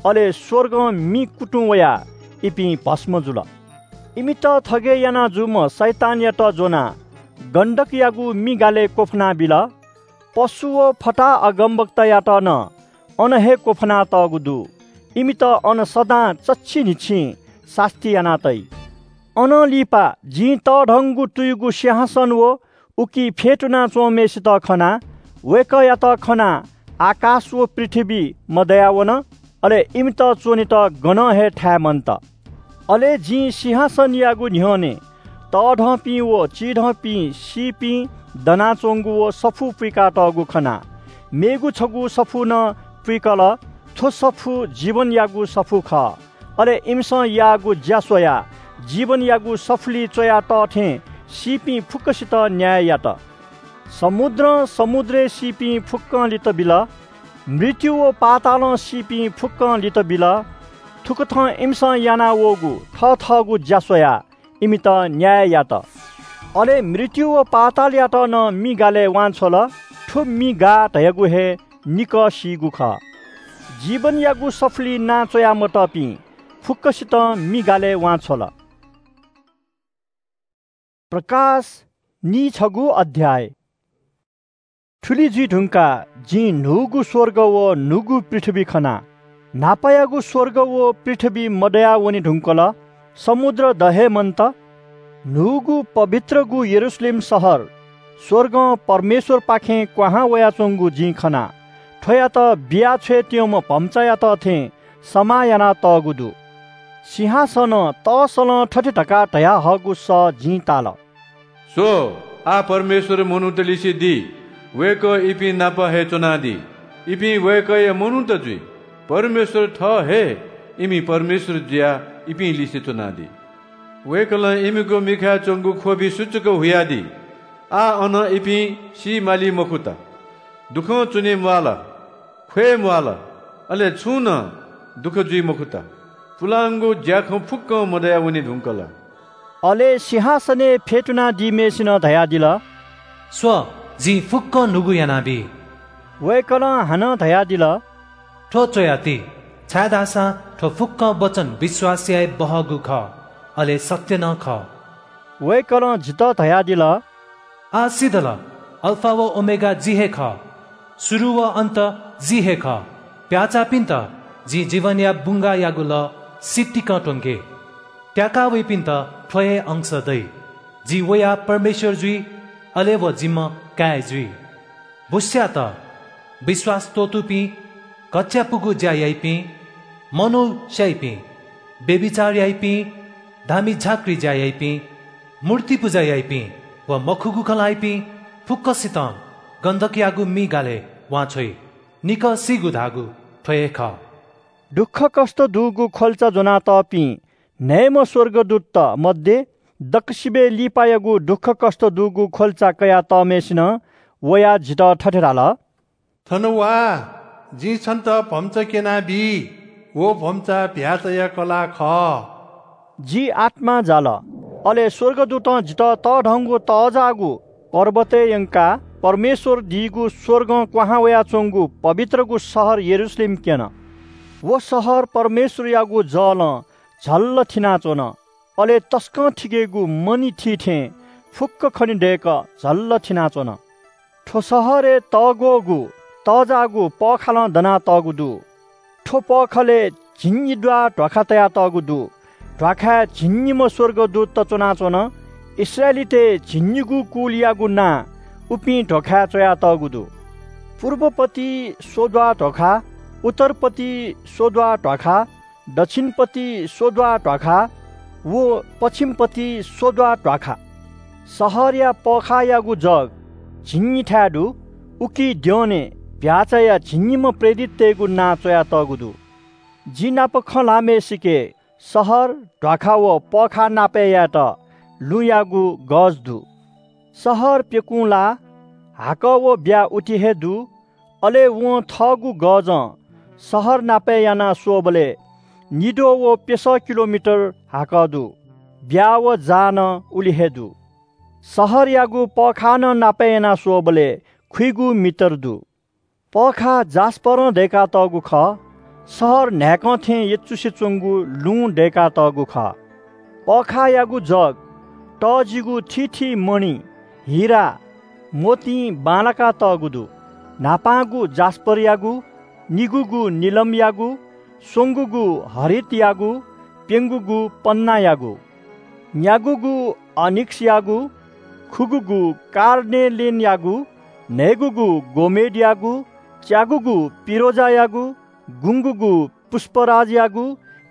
अले स्‍वर्गं मि कुतुं वयाः इपिं भस्‍म जुल। इमित थगय् याना जूम्‍ह शैतानयात ज्‍वनाः गन्‍धकयागु मि गालय् क्‍वफुना बिल। पशु व फताहा अगमवक्तायात नं अन हे क्‍वफुना तःगु दु। इमित अन सदां चच्‍छि न्‍हिच्‍छिं सास्‍ती याना तइ। अनं लिपा जिं तःधंगु तुयुगु सिंहासन व उकी फ्‍यतुना च्‍वंम्‍हय्‌सित खना। वय्‌कःयात खनाः आकाश व पृथ्‍वी मदया वन, अले इमित च्‍वनेत गनं हे थाय् मन्‍त। अले जिं सिंहासनयागु न्‍ह्यःने तःधंपिं व चिधंपिं सीपिं दनाच्‍वंगु व सफू पुइकातःगु खना। मेगु छगू सफू नं पुइकल। थ्‍व सफू जीवनयागु सफू खः। अले इमिसं याःगु ज्‍या स्वयाः जीवनयागु सफुली च्‍वया तः थें सीपिं फुक्‍कसित न्‍याय यात। समुद्रं समुद्रय् सीपिं फुक्‍कं लित बिल। मृत्यु व पातालं सीपिं फुक्‍कं लित बिल। थुकथं इमिसं याना वःगु थःथःगु ज्‍या स्वयाः इमित न्‍याय यात। अले मृत्यु व पातालयात नं मि गालय् वांछ्वल। थ्‍व मि गाः धयागु हे निकः सीगु खः। जीवनयागु सफुली नां च्‍वया मतःपिं फुक्‍कसितं मि गालय् वांछ्वल। प्रकाश नीछगू अध्‍याय। थुलि जुइ धुंकाः जिं न्‍हूगु स्‍वर्ग व न्‍हूगु पृथ्‍वी खना। न्‍हापायागु स्‍वर्ग व पृथ्‍वी मदया वने धुंकल। समुद्र द हे मन्‍त। न्‍हूगु पवित्रगु यरूशलेम शहर स्‍वर्गं परमेश्‍वरपाखें क्‍वहां वयाच्‍वंगु जिं खना। थ्‍वयात बिया छ्वयेत्यंम्‍ह भम्‍चायात थें समाः याना तःगु दु। सिंहासनं तःसलं थथे धकाः धयाहःगु सः जिं ताल। स्व, आः परमेश्वर मनूत लिसे दी, वय्‌कः इपिं नाप हे च्वनादी। इपिं वय्‌कःया मनूत जुइ। परमेश्वर थः हे इमि परमेश्वर जुयाः इपिं लिसे च्वनादी। वय्‌कलं इमिगु मिखाय् च्वंगु ख्वबि सुचुक हुयादी। आः अन इपिं सी माली मखुत, दुखं च्वने म्वाल, ख्वये म्वाल, अले छुं नं दुःख जुइ मखुत। पुलांगु ज्याखँ फुक्कं मदया वने धुंकल। अले सिंहासनय् फ्यतुनादीम्हय्‌सिनं धयादिल, स्व, जिं फुक्कं न्हूगु यानाबी। वय्‌कलं हानं धयादिल, थ्व च्वयाति, छाय्‌धाःसा थ्व फुक्कं वचन विश्वास याये बहःगु खः, अले सत्य नं खः। वय्‌कलं जितः धयादिल, आः सिधल, अल्फा व ओमेगा जि हे खः, सुरु व अन्त जि हे खः। प्याःचाःपिन्त जिं जीवनया बुंगाःयागु लः सितिकं त्वंके। त्याका वइपिन्त थ्व हे अंश दइ। जि वयाः परमेश्वर जुइ, अले व जिम्ह काय् जुइ। बुस्यात, विश्वास त्वःतूपिं, घच्‍चायापुगु ज्‍या याइपिं, मनू स्‍याइपिं, व्‍यभिचार याइपिं, धामी झाँक्री ज्‍या याइपिं, मूर्ति पुजा याइपिं व मखुगु खँ ल्‍हाइपिं फुक्‍कसितं गन्‍धकयागु मि गालय् वांछ्वइ। निकः सीगु धाःगु थ्‍व हे खः। दुःखकष्‍ट दुगु ख्‍वल्‍चा ज्‍वनातःपिं न्‍हय्‌म्‍ह स्‍वर्गदूतत मध्ये दक्‍वसिबय् लिपायागु दुःखकष्‍ट दुगु ख्‍वल्‍चा कयातःम्‍हय्‌सिनं वयाः जितः थथे धाल, थन वा, जिं छन्‍त भम्‍चा क्‍यनाबी। व भम्‍चा भ्‍याःचाया कलाः खः। जि आत्‍मां जाल। अले स्‍वर्गदूतं जितः तःधंगु तःजाःगु पर्वतय् यंकाः परमेश्‍वर दीगु स्‍वर्गं क्‍वहां वयाच्‍वंगु पवित्रगु शहर यरूशलेम क्‍यन। व शहर परमेश्‍वरयागु जलं झल्‍ल थिनाच्‍वन। अले तसकं थिकेगु मणि थी थें फुक्‍क खनेदय्‌क झल्‍ल थिनाच्‍वन। थ्‍व शहरय् तःग्‍वःगु तःजाःगु पःखालं दनातःगु दु। थ्‍व पःखालय् झिंनिद्वाः ध्‍वाखा तयातःगु दु। ध्‍वाखाय् झिंनिम्‍ह स्‍वर्गदूतत च्‍वनाच्‍वन। इस्राएलीतय् झिंनिगू कुलयागु नां उपिं ध्‍वाखाय् च्‍वयातःगु दु। पूर्वपति स्‍वद्वाः ध्‍वाखा, उत्तरपति स्‍वद्वाः ध्‍वाखा, दक्षिणपति स्‍वद्वाः ध्‍वाखा व पच्छिमपति स्‍वद्वाः ध्‍वाखा। शहरया पःखाःयागु जग झिंनिथाय् दु। उकी द्यःने भ्‍याःचाया झिंनिम्‍ह प्रेरिततय्‌गु नां च्‍वयातःगु दु। जि नाप खँ ल्‍हाःम्‍हय्‌सिके शहर, ध्‍वाखा व पःखाः नापय् यायेत लुँयागु गज दु। शहर प्‍यकुं लाः, हाकः व ब्‍या उति हे दु। अले वं थःगु गजं शहर नापय् यानाः स्‍वःबलय् निद्वः व प्‍यसः किलोमिटर हाकः दु। ब्‍या व जाः नं उलि हे दु। शहरयागु पःखाः नं नापय् यानाः स्‍वःबलय् खुइगू मिटर दु। पःखाः जास्‍परं दय्‌कातःगु खः। शहर न्‍हाय्‌कं थें यचुसे च्‍वंगु लुँ दय्‌कातःगु खः। पःखाःयागु जग तःजिगु थीथी मणि, हिरा, मोतिं बांलाकातःगु दु। न्‍हापांगु जास्‍परयागु, निगूगु निलमयागु, स्वंगूगु हरितयागु, प्‍यंगूगु पन्‍नायागु, न्‍यागूगु अनिक्‍सयागु, खुगूगु कार्नेलियनयागु, न्‍हय्‌गूगु गोमेदयागु, च्यागूगु पिरोजायागु, गुंगूगु पुष्‍पराजयागु,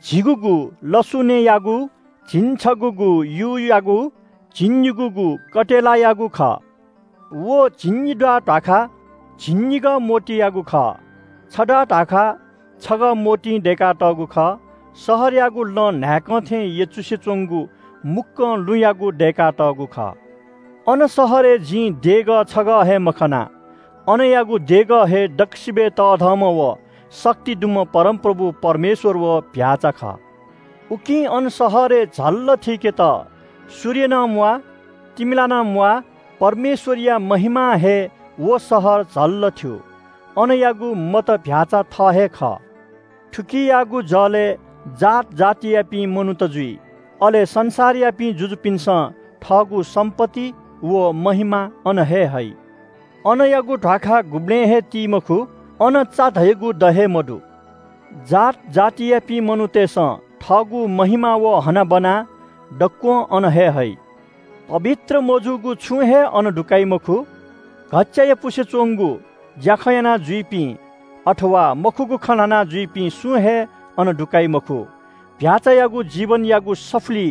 झिगूगु लसुनेयागु, झिंछगूगु यूयागु, झिंनिगूगु कटेलायागु खः। व झिंनिद्वाः ध्‍वाखा झिंनिगः मोतीयागु खः। छद्वाः ध्‍वाखा छगः मोतिं दय्‌कातःगु खः। शहरयागु लँ न्‍हाय्‌कं थें यचुसे च्‍वंगु मुक्‍कं लुँयागु दय्‌कातःगु खः। अन शहरय् जिं देगः छगः हे मखना। अनयागु देगः हे दक्‍वसिबय् तःधंम्‍ह व शक्ति दुम्‍ह परमप्रभु परमेश्‍वर व भ्‍याःचा खः। उकिं अन शहरय् झल्‍ल थीकेत सूर्य नं म्‍वाः, तिमिला नं म्‍वाः, परमेश्‍वरया महिमां हे व शहर झल्‍ल थ्‍यू। अनयागु मत भ्‍याःचा थः हे खः। थुकियागु जलय् जात जातियापिं मनूत जुइ। अले संसारयापिं जुजुपिन्‍सं थःगु सम्‍पत्ति व महिमा अन हे हइ। अनयागु ध्‍वाखा गुबलें हे ती मखु, अन चा धयागु द हे मदु। जात जातियापिं मनूतय्‌सं थःगु महिमा व हनाबना दक्‍वं अन हे हइ। पवित्र मजूगु छुं हे अन दुकाइ मखु। घच्‍चायापुसे च्‍वंगु ज्‍याखँ याना जुइपिं अथवा मखुगु खँ ल्‍हाना जुइपिं सुं हे अन दुकाइ मखु। भ्याःचायागु जीवनयागु सफुली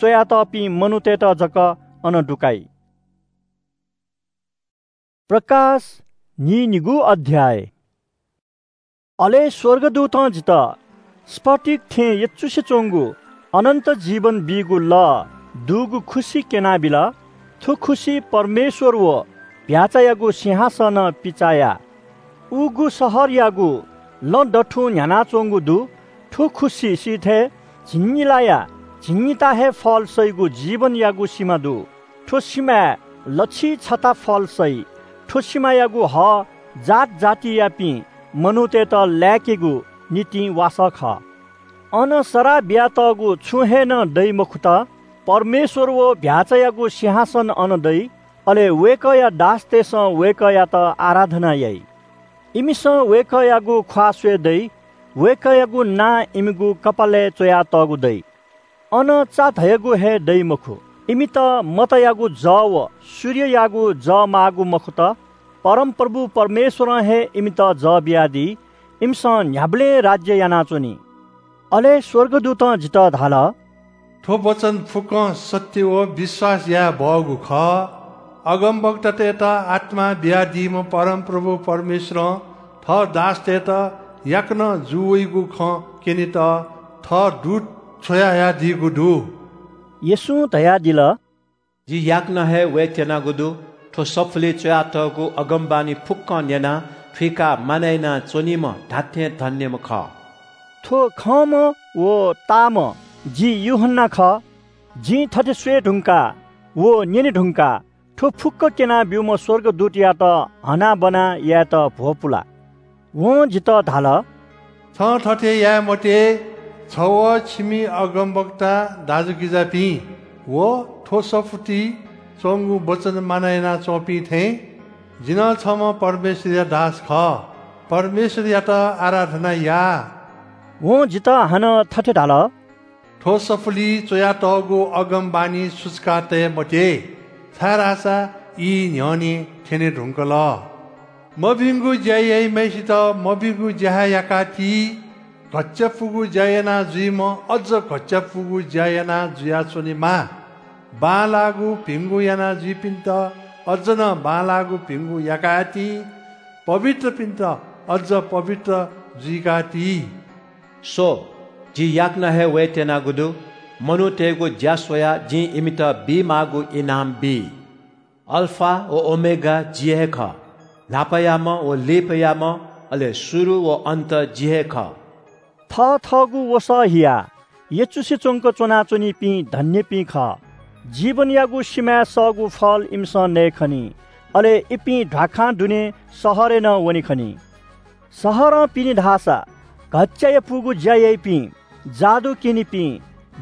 च्वयातःपिं मनूतय्त जक अन दुकाइ। प्रकाश न्हिनिगू अध्याय। अले स्वर्गदूतं जितः स्फटिक थें यचुसे च्वंगु अनन्त जीवन बीगु लः दुगु खुसि क्यनाबिल। थ्व खुसि परमेश्वर व भ्याःचायागु सिंहासनं पिचाया। उगु शहरयागु लँ दथुं न्ह्यानाच्वंगु दु। थ्व खुसि सिथय् झिंनिलाया झिंनिता हे फल सइगु जीवनयागु सिमा दु। थ्व सिमाय् लछि छता फल सइ। थ्व सिमायागु हः जात जातियापिं मनूतय्त लाय्केगु निंतिं वासः खः। अन सराः बियातःगु छुं हे नं दइ मखुत। परमेश्वर व भ्याःचायागु सिंहासन अन दइ। अले वय्कःया दासतय्सं वय्कःयात आराधना याइ। इमिसं वय्कःयागु ख्वाः स्वये दइ। वय्कःयागु नां इमिगु कपालय् च्वयातःगु दइ। अन चा धयागु हे दइ मखु। इमित मतयागु जः व सूर्ययागु जः माःगु मखुत। परमप्रभु परमेश्वरं हे इमित जः बियादी। इमिसं न्ह्याबलें राज्य यानाच्वनी। अले स्वर्गदूतं जितः धाल, थ्व वचन फुक्कं सत्य व विश्वास याये बहःगु खः। अगमवक्तातय्त आत्मा बियादीम्ह परमप्रभु परमेश्वरं थः दासतय्त याकनं जू वइगु खँ क्यनेत थः दूत छ्वयाहयादीगु दु। येशूं धयादिल, जि याकनं हे वयेत्यनागु दु। थ्व सफुलिइ च्वयातःगु अगमवाणी फुक्कं न्यनाः थुइकाः मानय् यानाच्वनीम्ह धात्थें धन्यम्ह खः। थ्व खंम्ह व ताःम्ह जि यूहन्ना खः। जिं थथे स्वये धुंकाः व न्यने धुंकाः थ्व फुक्क क्यनाब्यूम्ह स्वर्गदूतयात हनाबना यायेत भ्वपुला। वं जितः धाल, छं थथे याये मते। छ व छिमि अगमवक्ता दाजुकिजापिं व थ्व सफुतिइ च्वंगु वचन मानय् यानाच्वंपिं थें जि नं छम्ह परमेश्वरया दास खः। परमेश्वरयात आराधना या। वं जितः हानं थथे धाल, थ्व सफुलिइ च्वयातःगु अगमवाणी सुचुका तये मते, छाय्धाःसा ई न्ह्यःने थ्यने धुंकल। मभिंगु ज्या याइम्हय्सित मभिंगु ज्या हे याकाति। घच्‍चायापुगु ज्या याना जुइम्‍ह अझ घच्‍चायापुगु ज्या याना जुयाच्‍वनेमा। बांलाःगु भिंगु याना जुइपिन्‍त अझ नं बांलाःगु भिंगु याकाति। पवित्रपिन्‍त अझ पवित्र जुइकाति। स्‍व, जि याकनं हे वयेत्यनागु दु। मनूतय्‌गु ज्‍या स्‍वयाः जिं इमित बीमाःगु इनाम बी। अल्‍फा व ओमेगा जि हे खः। न्‍हापायाम्‍ह व लिपायाम्‍ह, अले शुरु व अन्‍त जि हे खः। थथःगु वसः हियाः यचुसे च्‍वंक च्‍वनाच्‍वनीपिं धन्‍यपिं खः। जीवनयागु सिमाय् सःगु फल इमिसं नये खनी। अले इपिं ध्‍वाखां दुने शहरय् नं वने खनी। शहरं पिने धाःसा घच्‍चायापुगु ज्‍या याइपिं, जादु क्‍यनीपिं,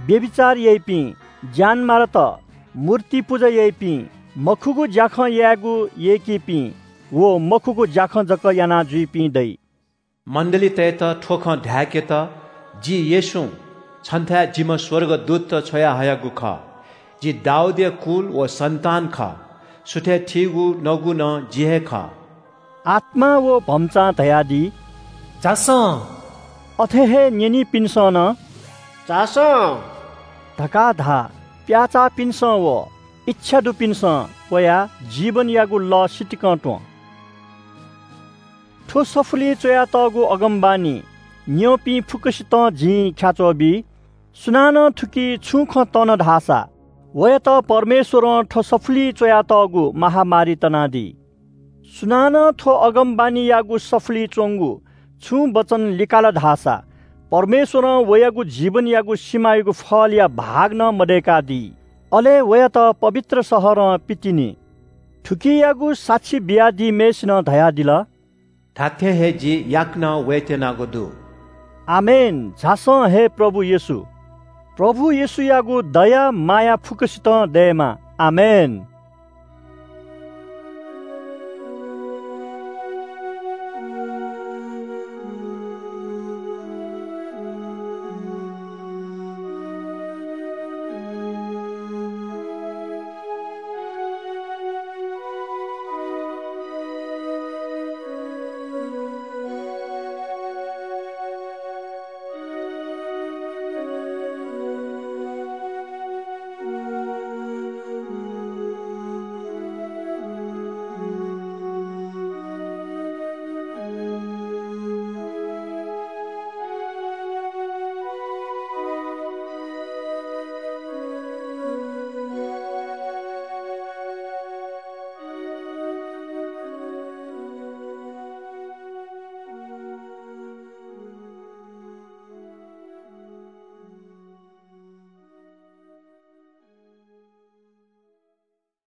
व्‍यभिचार याइपिं, ज्‍यानमारात, मूर्ति पुजा याइपिं, मखुगु ज्‍याखँ यायेगु यय्‌कीपिं व मखुगु ज्‍याखँ जक याना जुइपिं दइ। मण्‍डलीतय्‌त थ्‍व खँ धाय्‌केत जि येशूं छन्‍थाय् जिम्‍ह स्‍वर्गदूतत छ्वयाहयागु खः। जि दाऊदया कुल व सन्‍तान खः। सुथय् थीगु नगु नं जि हे खः। आत्‍मां व भम्‍चां धयादी, झासँ। अथे हे न्‍यनीपिन्‍सं नं, झासँ धकाः धा। प्‍याःचाःपिन्‍सं व इच्‍छा दुपिन्‍सं वयाः जीवनयागु लः सितिकं त्‍वँ। थ्‍व सफुलिइ च्‍वयातःगु अगमवाणी न्‍यंपिं फुक्‍कसितं जिं ख्‍याच्‍वः बी। सुनानं थुकी छुं खँ तन धाःसा, वयात परमेश्‍वरं थ्‍व सफुलिइ च्‍वयातःगु महामारी तनादी। सुनानं थ्‍व अगमवाणीयागु सफुलिइ च्‍वंगु छुं वचन लिकाल धाःसा, परमेश्‍वरं वयागु जीवनयागु सिमायागु फलया भाग नं मदय्‌कादी। अले वयात पवित्र शहरं पितिनि। थुकियागु साक्षी बियादीम्‍हय्‌सिनं धयादिल, धात्‍थें हे जि याकनं वयेत्यनागु दु। आमेन। झासँ हे प्रभु येशू। प्रभु येशूयागु दया माया फुक्‍कसितं दयेमा। आमेन।